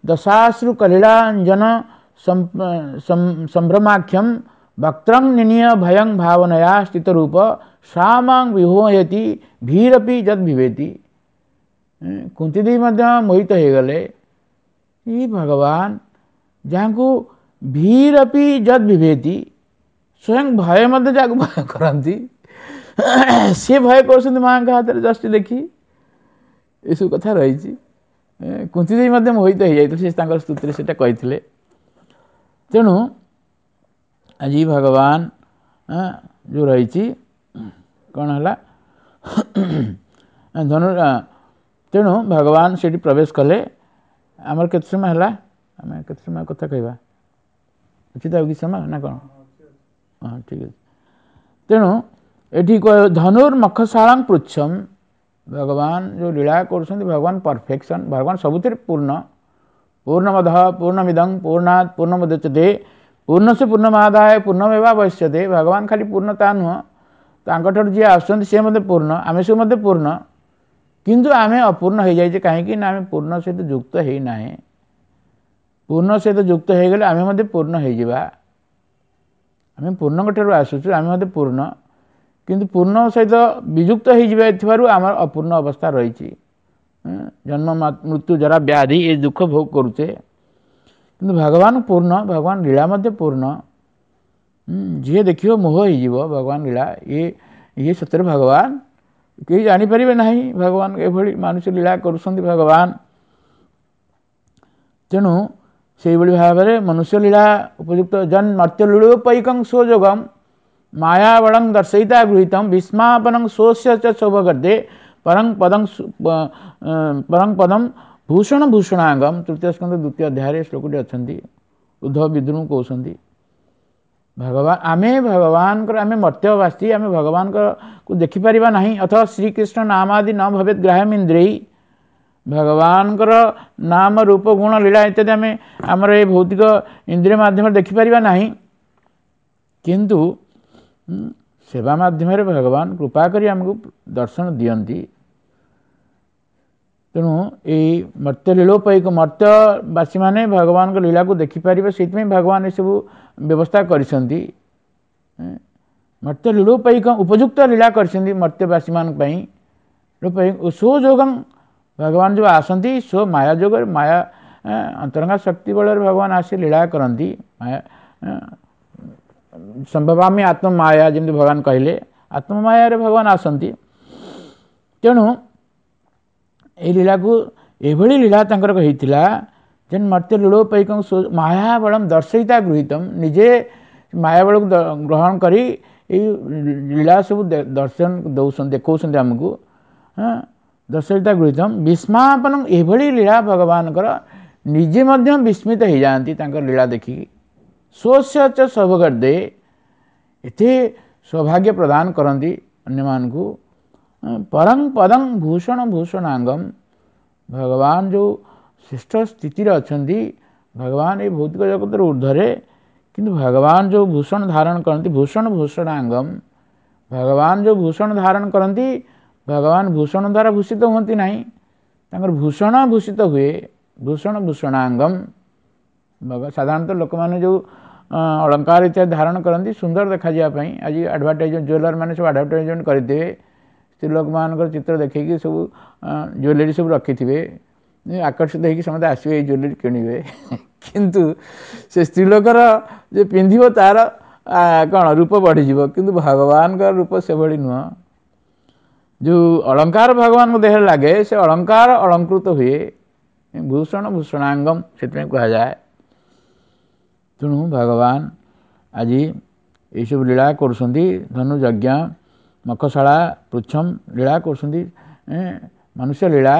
ଦଶାଶ୍ରୁ କଲିଳାଞ୍ଜନ ସମ୍ଭ୍ରମାଖ୍ୟಂ ବକ୍ତ୍ରଂ ନିନିୟ ଭୟଂ ଭାବନୟା ସ୍ଥିତରୂପ ଶ୍ୟାମାଂ ବିହୋୟତି ଭୀରପି ଯଦ୍ ବିଭେତି। କୁନ୍ତି ଦେବୀ ମଧ୍ୟ ମୋହିତ ହେଇଗଲେ, ଇ ଭଗବାନ ଯାହାଙ୍କୁ ଭୀରପି ଯଦ୍ ବିଭେତି, ସ୍ୱୟଂ ଭୟ ମଧ୍ୟ ଯାହାକୁ ଭୟ କରନ୍ତି, ସିଏ ଭୟ କରୁଛନ୍ତି ମାଆଙ୍କ ହାତରେ ଯଷ୍ଟି ଦେଖି। ଏସବୁ କଥା ରହିଛି। କୁନ୍ତି ଦେବୀ ମଧ୍ୟ ମୋହିତ ହେଇଯାଇଥିଲେ, ସେ ତାଙ୍କର ସ୍ତୁତିରେ ସେଇଟା କହିଥିଲେ। ତେଣୁ ଆଜି ଭଗବାନ ଯେଉଁ ରହିଛି କ'ଣ ହେଲା ଧନୁ, ତେଣୁ ଭଗବାନ ସେଇଠି ପ୍ରବେଶ କଲେ। ଆମର କେତେ ସମୟ ହେଲା? ଆମେ କେତେ ସମୟ କଥା କହିବା ଅଛି ତ ଆଉ କିଛି ସମୟ ନା କ'ଣ? ହଁ, ଠିକ୍ ଅଛି। ତେଣୁ ଏଠି ଧନୁର୍ ମଖଶାଳାଂ ପୃଚ୍ଛମ୍, ଭଗବାନ ଯେଉଁ ଲୀଳା କରୁଛନ୍ତି, ଭଗବାନ ପରଫେକ୍ସନ୍, ଭଗବାନ ସବୁଥିରେ ପୂର୍ଣ୍ଣ। ପୂର୍ଣ୍ଣମଦ ପୂର୍ଣ୍ଣମିଦଂ ପୂର୍ଣ୍ଣାତ୍ ପୂର୍ଣ୍ଣମୁଦଚ୍ୟତେ ପୂର୍ଣ୍ଣସ୍ୟ ପୂର୍ଣ୍ଣମାଦାୟ ପୂର୍ଣ୍ଣମେବାବଶିଷ୍ୟତେ। ଭଗବାନ ଖାଲି ପୂର୍ଣ୍ଣ ତା ନୁହଁ, ତାଙ୍କଠାରୁ ଯିଏ ଆସୁଛନ୍ତି ସିଏ ମଧ୍ୟ ପୂର୍ଣ୍ଣ, ଆମେ ସବୁ ମଧ୍ୟ ପୂର୍ଣ୍ଣ, କିନ୍ତୁ ଆମେ ଅପୂର୍ଣ୍ଣ ହେଇଯାଇଛେ। କାହିଁକି ନା ଆମେ ପୂର୍ଣ୍ଣ ସହିତ ଯୁକ୍ତ ହେଇନାହେଁ। ପୂର୍ଣ୍ଣ ସହିତ ଯୁକ୍ତ ହେଇଗଲେ ଆମେ ମଧ୍ୟ ପୂର୍ଣ୍ଣ ହେଇଯିବା। ଆମେ ପୂର୍ଣ୍ଣଙ୍କ ଠାରୁ ଆସୁଛୁ, ଆମେ ମଧ୍ୟ ପୂର୍ଣ୍ଣ, କିନ୍ତୁ ପୂର୍ଣ୍ଣ ସହିତ ବିଯୁକ୍ତ ହେଇଯିବା ଥିବାରୁ ଆମର ଅପୂର୍ଣ୍ଣ ଅବସ୍ଥା ରହିଛି। ଜନ୍ମ ମୃତ୍ୟୁ ଜରା ବ୍ୟାଧି ଏ ଦୁଃଖ ଭୋଗ କରୁଛେ, କିନ୍ତୁ ଭଗବାନ ପୂର୍ଣ୍ଣ, ଭଗବାନ ଲୀଳା ମଧ୍ୟ ପୂର୍ଣ୍ଣ। ଯିଏ ଦେଖିବ ମୋହ ହେଇଯିବ ଭଗବାନ ଲୀଳା, ଇଏ ଇଏ ସତରେ ଭଗବାନ, କେହି ଜାଣିପାରିବେ ନାହିଁ ଭଗବାନ ଏଭଳି ମାନୁଷ ଲୀଳା କରୁଛନ୍ତି ଭଗବାନ। ତେଣୁ ସେଇଭଳି ଭାବରେ ମନୁଷ୍ୟ ଲୀଳା ଉପଯୁକ୍ତ ଜନ୍ ମର୍ତ୍ତ୍ୟ ଲୀଳୋପୈକଂ ସ୍ୱଯୋଗಂ ମାୟାବଳଂ ଦର୍ଶୟିତା ଗୃହୀତಂ ଭୀଷ୍ମାପନଂ ସ୍ୱସ୍ୟ ଚ ଶୋଭଗର୍ଦ୍ଧେ ପରଂ ପଦଂ ପରଂ ପଦಂ ଭୂଷଣ ଭୂଷଣାଙ୍ଗମ। ତୃତୀୟ ସ୍କନ୍ଧ ଦ୍ୱିତୀୟ ଅଧ୍ୟାୟରେ ଶ୍ଲୋକଟି ଅଛନ୍ତି, ଉଦ୍ଧବ ବିଦ୍ରୁଙ୍କୁ କହୁଛନ୍ତି ଭଗବାନ, ଆମେ ଭଗବାନଙ୍କର, ଆମେ ମର୍ତ୍ତ୍ୟବାସୀ, ଆମେ ଭଗବାନଙ୍କକୁ ଦେଖିପାରିବା ନାହିଁ। ଅଥବା ଶ୍ରୀକୃଷ୍ଣ ନାମାଦି ନ ଭବେତ ଗ୍ରାହ୍ୟମ ଇନ୍ଦ୍ରିୟୈ, ଭଗବାନଙ୍କର ନାମ ରୂପ ଗୁଣ ଲୀଳା ଇତ୍ୟାଦି ଆମେ ଆମର ଏ ଭୌତିକ ଇନ୍ଦ୍ରିୟ ମାଧ୍ୟମରେ ଦେଖିପାରିବା ନାହିଁ, କିନ୍ତୁ ସେବା ମାଧ୍ୟମରେ ଭଗବାନ କୃପା କରି ଆମକୁ ଦର୍ଶନ ଦିଅନ୍ତି। ତେଣୁ ଏଇ ମର୍ତ୍ତ୍ୟ ଲୀଳୋପୈକ ମର୍ତ୍ତ୍ୟବାସୀମାନେ ଭଗବାନଙ୍କ ଲୀଳାକୁ ଦେଖିପାରିବେ, ସେଇଥିପାଇଁ ଭଗବାନ ଏସବୁ ବ୍ୟବସ୍ଥା କରିଛନ୍ତି। ମର୍ତ୍ତ୍ୟ ଲୀଳୋପୈକ ଉପଯୁକ୍ତ ଲୀଳା କରିଛନ୍ତି ମର୍ତ୍ତ୍ୟବାସୀମାନଙ୍କ ପାଇଁ। ସ୍ୱଯୋଗଂ, ଭଗବାନ ଯେଉଁ ଆସନ୍ତି ସ୍ୱ ମାୟା ଯୋଗରେ, ମାୟା ଅନ୍ତରଙ୍ଗା ଶକ୍ତି ବଳରେ ଭଗବାନ ଆସି ଲୀଳା କରନ୍ତି। ମାୟା ସମ୍ଭବାମି ଆତ୍ମମାୟା, ଯେମିତି ଭଗବାନ କହିଲେ ଆତ୍ମମାୟାରେ ଭଗବାନ ଆସନ୍ତି। ତେଣୁ ଏଇ ଲୀଳାକୁ ଏଭଳି ଲୀଳା ତାଙ୍କର ହେଇଥିଲା ଯେନ୍ ମର୍ତ୍ତ୍ୟ ଲୀଳୋପୈକଂ ମାୟାବଳಂ ଦର୍ଶୟିତା ଗୃହୀତಂ, ନିଜେ ମାୟାବଳକୁ ଗ୍ରହଣ କରି ଏଇ ଲୀଳା ସବୁ ଦର୍ଶନ ଦଉଛନ୍ତି, ଦେଖାଉଛନ୍ତି ଆମକୁ। ହଁ, ଦର୍ଶୟିତା ଗୃହୀତମ ବିସ୍ମାପନ, ଏଭଳି ଲୀଳା ଭଗବାନଙ୍କର ନିଜେ ମଧ୍ୟ ବିସ୍ମିତ ହେଇଯାଆନ୍ତି ତାଙ୍କର ଲୀଳା ଦେଖିକି। ସ୍ୱସ୍ୟ ଚ ସୌଭଗର୍ଦ୍ଧେ, ଏତେ ସୌଭାଗ୍ୟ ପ୍ରଦାନ କରନ୍ତି ଅନ୍ୟମାନଙ୍କୁ। ପରଂ ପଦଂ ଭୂଷଣ ଭୂଷଣାଙ୍ଗମ, ଭଗବାନ ଯେଉଁ ଶ୍ରେଷ୍ଠ ସ୍ଥିତିରେ ଅଛନ୍ତି, ଭଗବାନ ଏଇ ଭୌତିକ ଜଗତର ଉର୍ଦ୍ଧ୍ୱରେ, କିନ୍ତୁ ଭଗବାନ ଯେଉଁ ଭୂଷଣ ଧାରଣ କରନ୍ତି, ଭୂଷଣ ଭୂଷଣାଙ୍ଗମ, ଭଗବାନ ଯେଉଁ ଭୂଷଣ ଧାରଣ କରନ୍ତି, ଭଗବାନ ଭୂଷଣ ଦ୍ୱାରା ଭୂଷିତ ହୁଅନ୍ତି ନାହିଁ, ତାଙ୍କର ଭୂଷଣ ଭୂଷିତ ହୁଏ, ଭୂଷଣ ଭୂଷଣାଙ୍ଗମ। ସାଧାରଣତଃ ଲୋକମାନେ ଯେଉଁ ଅଳଙ୍କାର ଇତ୍ୟାଦି ଧାରଣ କରନ୍ତି ସୁନ୍ଦର ଦେଖାଯିବା ପାଇଁ, ଆଜି ଆଡ଼ଭର୍ଟାଇଜମେଣ୍ଟ ଜୁଏଲର ମାନେ ସବୁ ଆଡ଼ଭର୍ଟାଇଜମେଣ୍ଟ କରିଥିବେ, ସ୍ତ୍ରୀ ଲୋକମାନଙ୍କର ଚିତ୍ର ଦେଖେଇକି ସବୁ ଜୁଏଲାରୀ ସବୁ ରଖିଥିବେ, ଆକର୍ଷିତ ହେଇକି ସମସ୍ତେ ଆସିବେ ଏଇ ଜୁଏଲାରୀ କିଣିବେ। କିନ୍ତୁ ସେ ସ୍ତ୍ରୀ ଲୋକର ଯେ ପିନ୍ଧିବ ତାର କ'ଣ ରୂପ ବଢ଼ିଯିବ, କିନ୍ତୁ ଭଗବାନଙ୍କର ରୂପ ସେଭଳି ନୁହଁ। ଯେଉଁ ଅଳଙ୍କାର ଭଗବାନଙ୍କ ଦେହରେ ଲାଗେ ସେ ଅଳଙ୍କାର ଅଳଙ୍କୃତ ହୁଏ, ଭୂଷଣ ଭୂଷଣାଙ୍ଗମ ସେଥିପାଇଁ କୁହାଯାଏ। ତେଣୁ ଭଗବାନ ଆଜି ଏଇସବୁ ଲୀଳା କରୁଛନ୍ତି, ଧନୁ ଯଜ୍ଞ, ମଖଶାଳା, ପୃଚ୍ଛମ ଲୀଳା କରୁଛନ୍ତି, ମନୁଷ୍ୟ ଲୀଳା।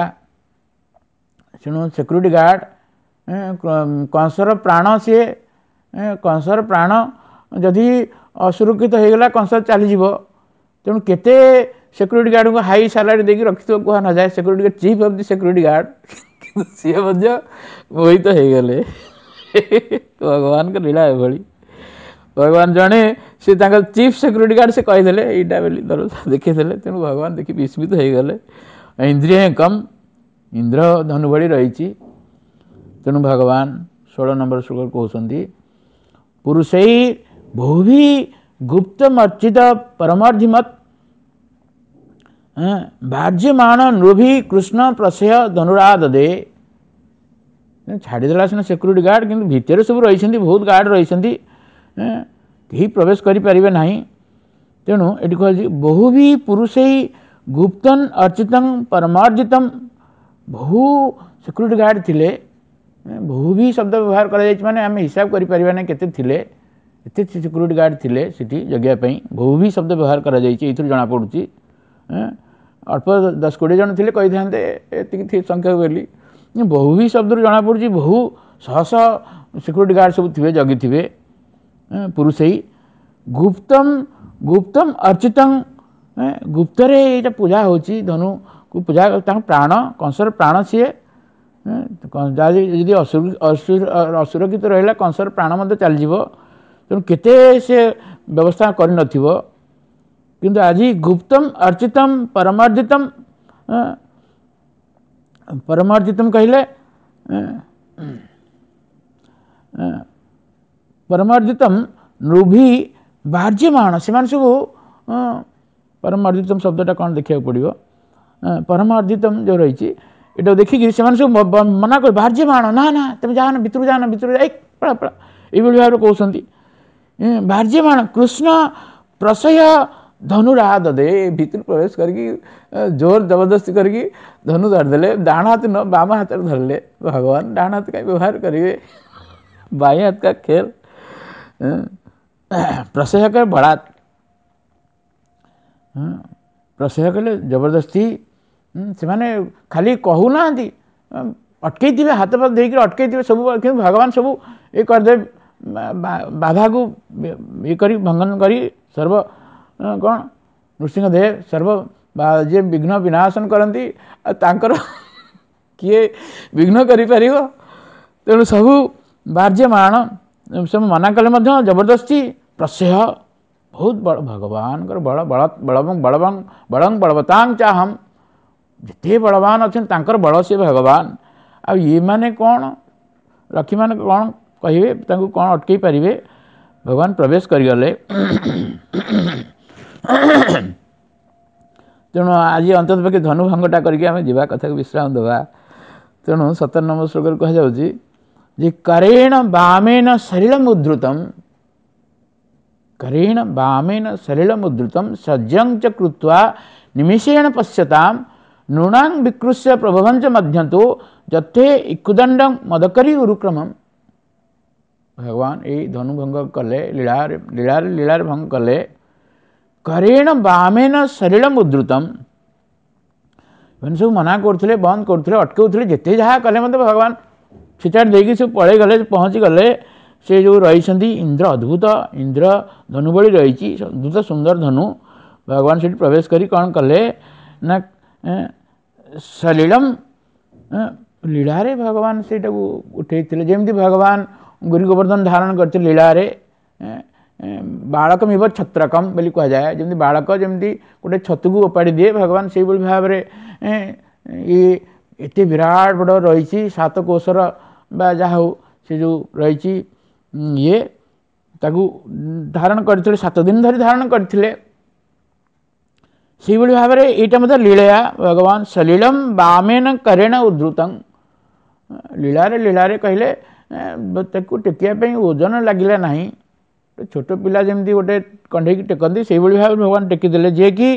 ତେଣୁ ସିକ୍ୟୁରିଟି ଗାର୍ଡ଼ କଂସର ପ୍ରାଣ, ସିଏ କଂସର ପ୍ରାଣ ଯଦି ଅସୁରକ୍ଷିତ ହେଇଗଲା କଂସ ଚାଲିଯିବ। ତେଣୁ କେତେ ସିକ୍ୟୁରିଟି ଗାର୍ଡ଼ଙ୍କୁ ହାଇ ସାଲାରୀ ଦେଇକି ରଖିଥିବ କୁହା ନଯାଏ, security guard chief of the security guard, କିନ୍ତୁ ସିଏ ମଧ୍ୟ ମୋହିତ ହେଇଗଲେ। ଭଗବାନଙ୍କ ଲୀଳା ଏଭଳି। ଭଗବାନ ଜଣେ, ସେ ତାଙ୍କ ଚିଫ୍ ସିକ୍ୟୁରିଟି ଗାର୍ଡ଼, ସେ କହିଦେଲେ ଏଇଟା ବୋଲି ଦେଖେଇଦେଲେ। ତେଣୁ ଭଗବାନ ଦେଖି ବିସ୍ମିତ ହେଇଗଲେ। ଇନ୍ଦ୍ରିୟ କମ୍, ଇନ୍ଦ୍ର ଧନୁ ଭଳି ରହିଛି। ତେଣୁ ଭଗବାନ ଷୋହଳ ନମ୍ବର ଶ୍ଲୋକ କହୁଛନ୍ତି, ପୁରୁଷେଇ ବହୁଭି ଗୁପ୍ତମର୍ଚିତ ପରମାର୍ଧିମତ୍ ବାର୍ଯ୍ୟମାଣ ନୃଭି କୃଷ୍ଣ ପ୍ରଶୟ ଧନୁରାଦଦେ। ଛାଡ଼ିଦେଲା ସିନା ସିକ୍ୟୁରିଟି ଗାର୍ଡ଼, କିନ୍ତୁ ଭିତରେ ସବୁ ରହିଛନ୍ତି, ବହୁତ ଗାର୍ଡ଼ ରହିଛନ୍ତି, କେହି ପ୍ରବେଶ କରିପାରିବେ ନାହିଁ। ତେଣୁ ଏଠି କୁହାଯାଉଛି ବହୁଭି ପୁରୁଷେଇ ଗୁପ୍ତନ ଅର୍ଚିତଂ ପରମାର୍ଜିତମ, ବହୁ ସିକ୍ୟୁରିଟି ଗାର୍ଡ଼ ଥିଲେ, ବହୁ ବି ଶବ୍ଦ ବ୍ୟବହାର କରାଯାଇଛି, ମାନେ ଆମେ ହିସାବ କରିପାରିବା ନାହିଁ କେତେ ଥିଲେ, ଏତେ ସିକ୍ୟୁରିଟି ଗାର୍ଡ଼ ଥିଲେ ସେଠି ଜଗିବା ପାଇଁ, ବହୁ ବି ଶବ୍ଦ ବ୍ୟବହାର କରାଯାଇଛି, ଏଇଥିରୁ ଜଣାପଡ଼ୁଛି। ଅଳ୍ପ ଦଶ କୋଡ଼ିଏ ଜଣ ଥିଲେ କହିଥାନ୍ତେ ଏତିକି ସଂଖ୍ୟା ବୋଲି, ବହୁ ବି ଶବ୍ଦରୁ ଜଣାପଡ଼ୁଛି ବହୁ ଶହ ଶହ ସିକ୍ୟୁରିଟି ଗାର୍ଡ଼ ସବୁ ଥିବେ, ଜଗିଥିବେ। ପୁରୁଷେଇ ଗୁପ୍ତମ ଗୁପ୍ତମ ଅର୍ଚିତଂ, ଗୁପ୍ତରେ ଏଇଟା ପୂଜା ହେଉଛି, ଧନୁକୁ ପୂଜା, ତାଙ୍କ ପ୍ରାଣ, କଂସର ପ୍ରାଣ ସିଏ, ଯଦି ଅସୁରକ୍ଷିତ ରହିଲା କଂସର ପ୍ରାଣ ମଧ୍ୟ ଚାଲିଯିବ। ତେଣୁ କେତେ ସେ ବ୍ୟବସ୍ଥା କରିନଥିବ, କିନ୍ତୁ ଆଜି ଗୁପ୍ତମ ଅର୍ଚିତମ ପରମାର୍ଜିତମ, ପରମାର୍ଜିତମ କହିଲେ ପରମାର୍ଜିତମ ନୃଭି ବାର୍ଯ୍ୟମାଣ, ସେମାନେ ସବୁ ପରମାର୍ଜିତମ ଶବ୍ଦଟା କ'ଣ ଦେଖିବାକୁ ପଡ଼ିବ, ପରମାର୍ଜିତମ ଯେଉଁ ରହିଛି ଏଇଟା ଦେଖିକି ସେମାନେ ସବୁ ମନା କରି ବାର୍ଯ୍ୟମାଣ, ନା ନା ତମେ ଯାଅନା, ଭିତରକୁ ଯାଅନା, ଭିତରକୁ ଯାଇ ପଳା ପଳା, ଏଇଭଳି ଭାବରେ କହୁଛନ୍ତି। ବାର୍ଯ୍ୟମାଣ କୃଷ୍ଣ ପ୍ରଶୟ ଧନୁରାଦଦେ, ଭିତରୁ ପ୍ରବେଶ କରିକି ଜୋର ଜବରଦସ୍ତି କରିକି ଧନୁ ଧରିଦେଲେ, ଡାହାଣ ହାତ ନୁହଁ ବାମ ହାତରେ ଧରିଲେ। ଭଗବାନ ଡାହାଣ ହାତ କାହିଁ ବ୍ୟବହାର କରିବେ? बाएं हाथ का खेल। प्रसह कर बड़ा ପ୍ରସହ କଲେ ଜବରଦସ୍ତି, ସେମାନେ ଖାଲି କହୁନାହାନ୍ତି, ଅଟକେଇଥିବେ, ହାତ ପାତ ଦେଇକରି ଅଟକେଇଥିବେ ସବୁ, କିନ୍ତୁ ଭଗବାନ ସବୁ ଇଏ କରିଦେବେ, ବାଧାକୁ ଇଏ କରି ଭଙ୍ଗନ କରି ସର୍ବ କ'ଣ ନୃସିଂହଦେବ ସର୍ବ ଯିଏ ବିଘ୍ନ ବିନାଶନ କରନ୍ତି, ଆଉ ତାଙ୍କର କିଏ ବିଘ୍ନ କରିପାରିବ? ତେଣୁ ସବୁ ବାର୍ଯ୍ୟମାଣ ସବୁ ମନା କଲେ ମଧ୍ୟ ଜବରଦସ୍ତି ପ୍ରସହ ବହୁତ ବଡ଼ ଭଗବାନଙ୍କର ବଳ, ବଳ ବଳବଂ ବଳବଂ ବଳଂ ବଳବତାଂ ଚାହಂ, ଯେତେ ବଳବାନ ଅଛନ୍ତି ତାଙ୍କର ବଳ ସିଏ ଭଗବାନ। ଆଉ ଇଏମାନେ କ'ଣ, ଲକ୍ଷ୍ମୀମାନେ କ'ଣ କହିବେ, ତାଙ୍କୁ କ'ଣ ଅଟକେଇ ପାରିବେ? ଭଗବାନ ପ୍ରବେଶ କରିଗଲେ। ତେଣୁ ଆଜି ଅନ୍ତତଃ ପକ୍ଷେ ଧନୁଭଙ୍ଗଟା କରିକି ଆମେ ଯିବା କଥାକୁ ବିଶ୍ରାମ ଦେବା। ତେଣୁ ସତର ନମ୍ବର ଶ୍ଲୋକରେ କୁହାଯାଉଛି ଯେ କରେଣ ବାମେନ ଶରୀରମ ଉଦ୍ଧୃତମ୍, କରେଣ ବାମେନ ସଲିଳମ ଉଦ୍ଧୃତମ୍ ସଜ୍ଜଂ ଚ କୃତ୍ୱା ନିମିଷେଣ ପଶ୍ୟତାಂ ନୃଣାଂ ବିକୃଷ୍ୟ ପ୍ରଭବଞ୍ଚ ମଧ୍ୟନ୍ତୁ ଯଥେ ଇକୁଦଣ୍ଡଂ ମଦକରି ଉରୁକ୍ରମମ୍। ଭଗବାନ ଏଇ ଧନୁଭଙ୍ଗ କଲେ, ଲୀଳାରେ ଲୀଳାରେ ଲୀଳାରେ ଭଙ୍ଗ କଲେ। କରେଣ ବାମେନ ସଲିଳମ ଉଦ୍ଧୃତମ୍, ଏମାନେ ସବୁ ମନା କରୁଥିଲେ, ବନ୍ଦ କରୁଥିଲେ, ଅଟକାଉଥିଲେ, ଯେତେ ଯାହା କଲେ ମଧ୍ୟ ଭଗବାନ ଛିଚାଡ଼ି ଦେଇକି ସବୁ ପଳେଇଗଲେ, ପହଞ୍ଚିଗଲେ। ସେ ଯେଉଁ ରହିଛନ୍ତି ଇନ୍ଦ୍ର, ଅଦ୍ଭୁତ ଇନ୍ଦ୍ର ଧନୁ ଭଳି ରହିଛି, ଅଦ୍ଭୁତ ସୁନ୍ଦର ଧନୁ। ଭଗବାନ ସେଠି ପ୍ରବେଶ କରି କ'ଣ କଲେ ନା ସଲିଳମ ଲୀଳାରେ ଭଗବାନ ସେଇଟାକୁ ଉଠେଇଥିଲେ। ଯେମିତି ଭଗବାନ ଗୁରୁ ଗୋବର୍ଦ୍ଧନ ଧାରଣ କରିଥିଲେ ଲୀଳାରେ, ବାଳକମିବ ଛତ୍ରକମ୍ ବୋଲି କୁହାଯାଏ। ଯେମିତି ବାଳକ ଯେମିତି ଗୋଟେ ଛତୁକୁ ଓପାଡ଼ି ଦିଏ, ଭଗବାନ ସେଇଭଳି ଭାବରେ ଇଏ ଏତେ ବିରାଟ ବଡ଼ ରହିଛି ସାତ କୋଷର ବା ଯାହା ହଉ ସେ ଯେଉଁ ରହିଛି ଇଏ, ତାକୁ ଧାରଣ କରିଥିଲେ, ସାତ ଦିନ ଧରି ଧାରଣ କରିଥିଲେ। ସେଇଭଳି ଭାବରେ ଏଇଟା ମଧ୍ୟ ଲୀଳୟା ଭଗବାନ ସଲିଳମ ବାମେନ କରେଣ ଉଦ୍ଧୃତଂ, ଲୀଳାରେ ଲୀଳାରେ କହିଲେ ତାକୁ ଟେକିବା ପାଇଁ ଓଜନ ଲାଗିଲା ନାହିଁ। ଛୋଟ ପିଲା ଯେମିତି ଗୋଟେ କଣ୍ଢେଇକି ଟେକନ୍ତି ସେଇଭଳି ଭାବରେ ଭଗବାନ ଟେକିଦେଲେ। ଯିଏକି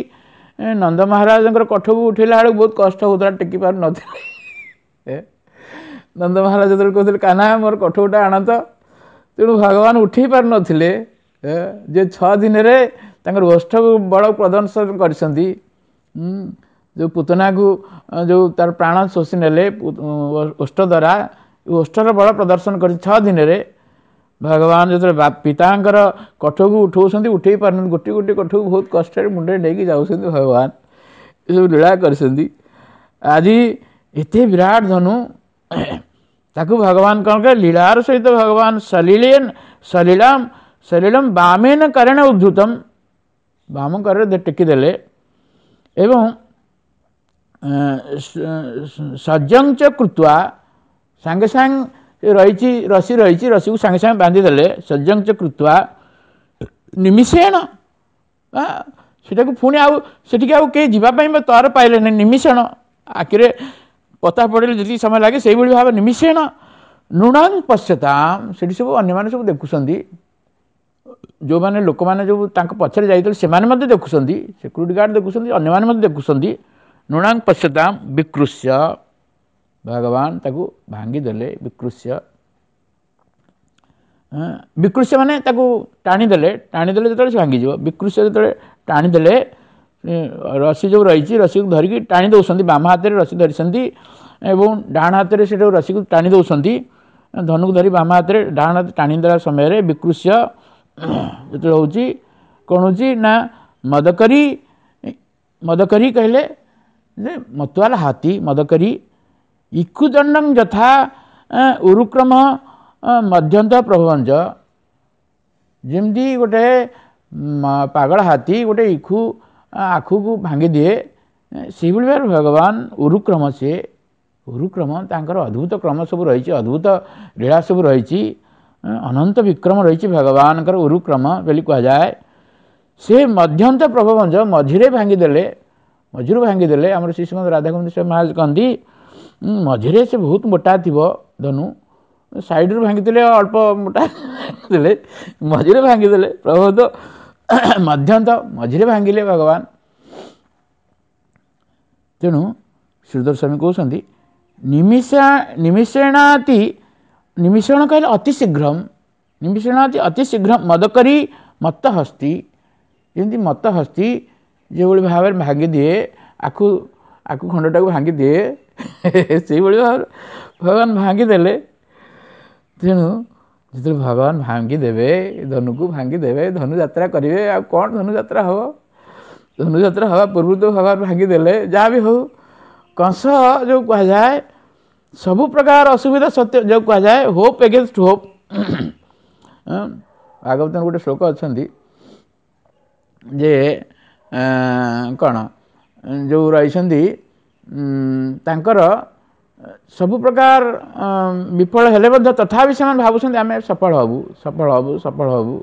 ନନ୍ଦ ମହାରାଜଙ୍କର କଠକୁ ଉଠେଇଲା ବେଳକୁ ବହୁତ କଷ୍ଟ ହେଉଥିଲା, ଟେକି ପାରୁନଥିଲେ। ନନ୍ଦ ମହାରାଜ ଯେତେବେଳେ କହୁଥିଲେ କାହ୍ନା ମୋର କଠଉଟା ଆଣନ୍ତ, ତେଣୁ ଭଗବାନ ଉଠେଇ ପାରୁନଥିଲେ। ଯେ ଛଅ ଦିନରେ ତାଙ୍କର ଓଷ୍ଠକୁ ବଳ ପ୍ରଦର୍ଶନ କରିଛନ୍ତି, ଯେଉଁ ପୁତନାକୁ ଯେଉଁ ତାର ପ୍ରାଣ ଶୋଷି ନେଲେ ଓଷ୍ଠ ଦ୍ୱାରା, ଓଷ୍ଠର ବଳ ପ୍ରଦର୍ଶନ କରି ଛଅ ଦିନରେ ଭଗବାନ ଯେତେବେଳେ ପିତାଙ୍କର କଠକୁ ଉଠଉଛନ୍ତି, ଉଠେଇ ପାରୁନାହାନ୍ତି, ଗୋଟିଏ ଗୋଟିଏ କଠକୁ ବହୁତ କଷ୍ଟରେ ମୁଣ୍ଡରେ ନେଇକି ଯାଉଛନ୍ତି ଭଗବାନ। ଏସବୁ ଲୀଳା କରିଛନ୍ତି। ଆଜି ଏତେ ବିରାଟ ଧନୁ, ତାକୁ ଭଗବାନ କ'ଣ କଲେ ଲୀଳାର ସହିତ ଭଗବାନ ସଲିଳେନ ସଲିଳମ ସଲିଳମ ବାମେନ କରେଣ ଉଦ୍ଧୃତମ, ବାମ କରରେ ଟେକିଦେଲେ। ଏବଂ ସଜ୍ଜଂ ଚ କୃତ୍ୱା, ସାଙ୍ଗେ ସାଙ୍ଗେ ରହିଛି ରସି ରହିଛି, ରସିକୁ ସାଙ୍ଗେ ସାଙ୍ଗେ ବାନ୍ଧିଦେଲେ। ସଜ୍ଜଂ ଚ କୃତ୍ୱା ନିମିଷେଣ, ସେଟାକୁ ପୁଣି ଆଉ ସେଠିକି ଆଉ କେହି ଯିବା ପାଇଁ ତର ପାଇଲେନି। ନିମିଷେଣ ଆଖିରେ ପତା ପଡ଼ିଲେ ଯେତିକି ସମୟ ଲାଗେ ସେଇଭଳି ଭାବେ ନିମିଷେଣ ନୃଣାଂ ପଶ୍ୟତାମ୍, ସେଠି ସବୁ ଅନ୍ୟମାନେ ସବୁ ଦେଖୁଛନ୍ତି, ଯେଉଁମାନେ ଲୋକମାନେ ଯେଉଁ ତାଙ୍କ ପଛରେ ଯାଇଥିଲେ ସେମାନେ ମଧ୍ୟ ଦେଖୁଛନ୍ତି, ସିକ୍ୟୁରିଟି ଗାର୍ଡ଼ ଦେଖୁଛନ୍ତି, ଅନ୍ୟମାନେ ମଧ୍ୟ ଦେଖୁଛନ୍ତି। ନୃଣାଂ ପଶ୍ୟତାମ୍ ବିକୃଷ୍ୟ, ଭଗବାନ ତାକୁ ଭାଙ୍ଗିଦେଲେ। ବିକୃଷ୍ୟ ବିକୃଷ୍ୟ ମାନେ ତାକୁ ଟାଣିଦେଲେ, ଟାଣିଦେଲେ ଯେତେବେଳେ ସେ ଭାଙ୍ଗିଯିବ। ବିକୃଷ୍ୟ ଯେତେବେଳେ ଟାଣିଦେଲେ, ରସି ଯେଉଁ ରହିଛି ରସିକୁ ଧରିକି ଟାଣି ଦେଉଛନ୍ତି, ବାମ ହାତରେ ରସି ଧରିଛନ୍ତି ଏବଂ ଡାହାଣ ହାତରେ ସେଟାକୁ ରସିକୁ ଟାଣି ଦେଉଛନ୍ତି। ଧନୁକୁ ଧରି ବାମ ହାତରେ ଡାହାଣ ହାତ ଟାଣି ଦେଲା ସମୟରେ ବିକୃଷ୍ୟ ଯେତେବେଳେ ହେଉଛି କ'ଣ ହେଉଛି ନା ମଦକରି, ମଦକରି କହିଲେ ଯେ ମତୁଆଲ ହାତୀ, ମଦକରି ଇକୁଦଣ୍ଡଂ ଯଥା ଉରୁକ୍ରମ ମଧ୍ୟନ୍ତ ପ୍ରଭବଞ୍ଚ, ଯେମିତି ଗୋଟେ ପାଗଳ ହାତୀ ଗୋଟେ ଇଖୁ ଆଖୁକୁ ଭାଙ୍ଗିଦିଏ, ସେଇଭଳି ଭାବରେ ଭଗବାନ ଉରୁକ୍ରମ, ସିଏ ଉରୁକ୍ରମ ତାଙ୍କର ଅଦ୍ଭୁତ କ୍ରମ ସବୁ ରହିଛି, ଅଦ୍ଭୁତ ଲୀଳା ସବୁ ରହିଛି, ଅନନ୍ତ ବିକ୍ରମ ରହିଛି ଭଗବାନଙ୍କର ଉରୁକ୍ରମ ବୋଲି କୁହାଯାଏ। ସେ ମଧ୍ୟନ୍ତ ପ୍ରଭବଞ୍ଜ ମଝିରେ ଭାଙ୍ଗିଦେଲେ, ମଝିରୁ ଭାଙ୍ଗିଦେଲେ। ଆମର ଶ୍ରୀ ଶ୍ରୀମଦ ରାଧାଗୋବିନ୍ଦ ସ୍ୱାମୀ ମହାରାଜ କହନ୍ତି ମଝିରେ ସେ ବହୁତ ମୋଟା ଥିବ ଧନୁ, ସାଇଡ଼ରୁ ଭାଙ୍ଗିଦେଲେ ଅଳ୍ପ ମୋଟା ଥିଲେ, ମଝିରେ ଭାଙ୍ଗିଦେଲେ ପ୍ରଭୁତ ମଧ୍ୟନ୍ତ ମଝିରେ ଭାଙ୍ଗିଲେ ଭଗବାନ। ତେଣୁ ଶ୍ରୀଧର ସ୍ୱାମୀ କହୁଛନ୍ତି ନିମିଷା ନିମିଷେଣାତି ନିମିଷଣ କହିଲେ ଅତି ଶୀଘ୍ରମ, ନିମିଷଣ ଅତି ଶୀଘ୍ର ମଦକରି ମତ୍ତ ହସ୍ତି, ଯେମିତି ମତ୍ତ ହସ୍ତି ଯେଉଁଭଳି ଭାବରେ ଭାଙ୍ଗିଦିଏ ଆଖୁ ଆଖୁ ଖଣ୍ଡଟାକୁ ଭାଙ୍ଗିଦିଏ, ସେଇଭଳି ଭାବରେ ଭଗବାନ ଭାଙ୍ଗିଦେଲେ। ତେଣୁ ଯେତେବେଳେ ଭଗବାନ ଭାଙ୍ଗିଦେବେ, ଧନୁକୁ ଭାଙ୍ଗିଦେବେ, ଧନୁଯାତ୍ରା କରିବେ, ଆଉ କ'ଣ ଧନୁଯାତ୍ରା ହେବ? ଧନୁଯାତ୍ରା ହେବା ପୂର୍ବରୁ ତ ଭଗବାନ ଭାଙ୍ଗିଦେଲେ। ଯାହା ବି ହେଉ, କଂସ ଯେଉଁ କୁହାଯାଏ ସବୁ ପ୍ରକାର ଅସୁବିଧା ସତ୍ୟ, ଯେଉଁ କୁହାଯାଏ ହୋପ୍ ଏଗେନଷ୍ଟ ହୋପ୍। ଭାଗବତର ଗୋଟେ ଶ୍ଲୋକ ଅଛନ୍ତି ଯେ କ'ଣ ଯେଉଁ ରହିଛନ୍ତି ତାଙ୍କର ସବୁ ପ୍ରକାର ବିଫଳ ହେଲେ ମଧ୍ୟ ତଥାପି ସେମାନେ ଭାବୁଛନ୍ତି ଆମେ ସଫଳ ହେବୁ, ସଫଳ ହେବୁ, ସଫଳ ହେବୁ।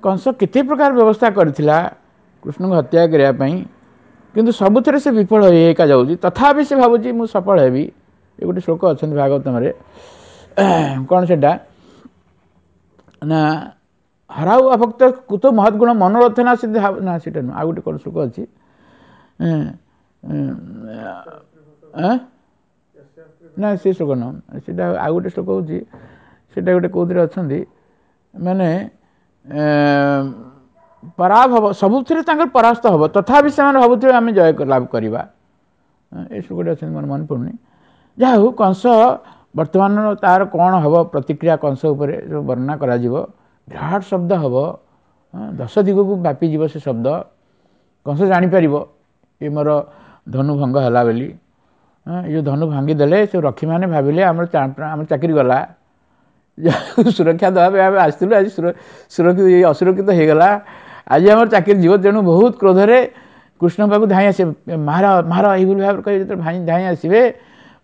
କଂସ କେତେ ପ୍ରକାର ବ୍ୟବସ୍ଥା କରିଥିଲା କୃଷ୍ଣଙ୍କୁ ହତ୍ୟା କରିବା ପାଇଁ, କିନ୍ତୁ ସବୁଥିରେ ସେ ବିଫଳ ହେଇ ଏକା ଯାଉଛି, ତଥାପି ସେ ଭାବୁଛି ମୁଁ ସଫଳ ହେବି। ଏ ଗୋଟେ ଶ୍ଲୋକ ଅଛନ୍ତି ଭାଗବତମରେ, କ'ଣ ସେଇଟା ନା ହରାଉ ଅଭକ୍ତ କୁତ ମହତ୍ ଗୁଣ ମନୋରଥ ନା ସିଦ୍ଧ ନା, ସେଇଟା ନୁହଁ, ଆଉ ଗୋଟେ କ'ଣ ଶ୍ଲୋକ ଅଛି ନା, ସେ ଶ୍ଲୋକ ନୁହଁ, ସେଇଟା ଆଉ ଗୋଟେ ଶ୍ଲୋକ ହେଉଛି, ସେଇଟା ଗୋଟେ କେଉଁଥିରେ ଅଛନ୍ତି ମାନେ ପରାଭବ, ସବୁଥିରେ ତାଙ୍କର ପରାସ୍ତ ହେବ, ତଥାପି ସେମାନେ ଭାବୁଥିବେ ଆମେ ଜୟ ଲାଭ କରିବା। ଏ ଶ୍ଲୋକଟି ଅଛନ୍ତି, ମୋର ମନେ ପଡ଼ୁନି। ଯାହା ହଉ, କଂସ ବର୍ତ୍ତମାନ ତାର କ'ଣ ହେବ ପ୍ରତିକ୍ରିୟା କଂସ ଉପରେ ଯେଉଁ ବର୍ଣ୍ଣନା କରାଯିବ, ବିରାଟ ଶବ୍ଦ ହେବ, ଦଶ ଦିଗକୁ ବ୍ୟାପିଯିବ ସେ ଶବ୍ଦ। କଂସ ଜାଣିପାରିବ ଏ ମୋର ଧନୁ ଭଙ୍ଗ ହେଲା ବୋଲି। ଏ ଯେଉଁ ଧନୁ ଭାଙ୍ଗିଦେଲେ ସେ ରକ୍ଷୀମାନେ ଭାବିଲେ ଆମର ଆମର ଚାକିରି ଗଲା, ସୁରକ୍ଷା ଦେବା ପାଇଁ ଆମେ ଆସିଥିଲୁ, ଆଜି ସୁରକ୍ଷିତ ଅସୁରକ୍ଷିତ ହେଇଗଲା, ଆଜି ଆମର ଚାକିରି ଯିବ। ତେଣୁ ବହୁତ କ୍ରୋଧରେ କୃଷ୍ଣ ପାଖକୁ ଧାଇଁ ଆସିବେ, ମାର ମାର ଏଇଭଳି ଭାବରେ କହି ଯେତେବେଳେ ଧାଇଁ ଆସିବେ,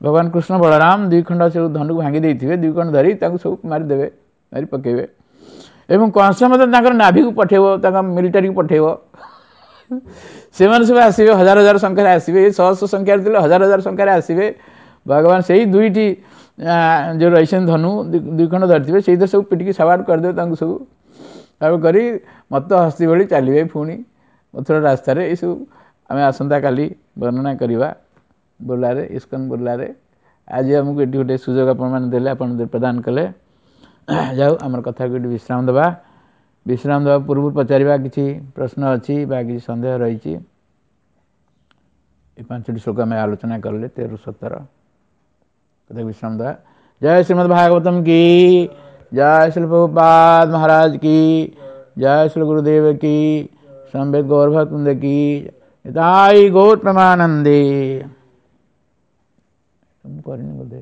ଭଗବାନ କୃଷ୍ଣ ବଳରାମ ଦୁଇ ଖଣ୍ଡ ସବୁ ଧନୁକୁ ଭାଙ୍ଗି ଦେଇଥିବେ, ଦୁଇ ଖଣ୍ଡ ଧରି ତାଙ୍କୁ ସବୁ ମାରିଦେବେ, ମାରି ପକେଇବେ। ଏବଂ କଂସ ମଧ୍ୟ ତାଙ୍କର ନାଭିକୁ ପଠେଇବ, ତାଙ୍କ ମିଲିଟାରୀକୁ ପଠେଇବ, ସେମାନେ ସବୁ ଆସିବେ, ହଜାର ହଜାର ସଂଖ୍ୟାରେ ଆସିବେ, ଶହ ଶହ ସଂଖ୍ୟାରେ ଥିଲେ ହଜାର ହଜାର ସଂଖ୍ୟାରେ ଆସିବେ। ଭଗବାନ ସେଇ ଦୁଇଟି ଯେଉଁ ରହିଛନ୍ତି ଧନୁ ଦୁଇ ଖଣ୍ଡ ଧରିଥିବେ, ସେଇଥିରେ ସବୁ ପିଟିକି ସବାଟ କରିଦେବେ ତାଙ୍କୁ ସବୁ, ତାକୁ କରି ମତ ହସ୍ତି ଭଳି ଚାଲିବେ ପୁଣି ମଥୁରା ରାସ୍ତାରେ। ଏସବୁ ଆମେ ଆସନ୍ତାକାଲି ବର୍ଣ୍ଣନା କରିବା ବୁର୍ଲାରେ, ଇସ୍କନ ବୁର୍ଲାରେ। ଆଜି ଆମକୁ ଏଠି ଗୋଟେ ସୁଯୋଗ ଆପଣମାନେ ଦେଲେ, ଆପଣ ପ୍ରଦାନ କଲେ। ଯାଉ ଆମର କଥାକୁ ଏଠି ବିଶ୍ରାମ ଦେବା। ବିଶ୍ରାମ ଦେବା ପୂର୍ବରୁ ପଚାରିବା କିଛି ପ୍ରଶ୍ନ ଅଛି ବା କିଛି ସନ୍ଦେହ ରହିଛି? ଏ ପାଞ୍ଚଟି ଶ୍ଲୋକ ଆମେ ଆଲୋଚନା କଲେ, ତେର ସତର କଥା ବିଶ୍ରାମ ଦେବା। ଜୟ ଶ୍ରୀମଦ୍ ଭାଗବତମ କି ଜୟ, ଶ୍ରୀ ପ୍ରଭୁପାଦ ମହାରାଜ କି ଜୟ, ଶ୍ରୀ ଗୁରୁଦେବ କି, ସମ୍ବେଦ ଗୌରଭକୁନ୍ଦ କି, ତାଇ ଗୌର ପ୍ରମାନନ୍ଦେ। ମୁଁ କରିନି ବୋଧେ।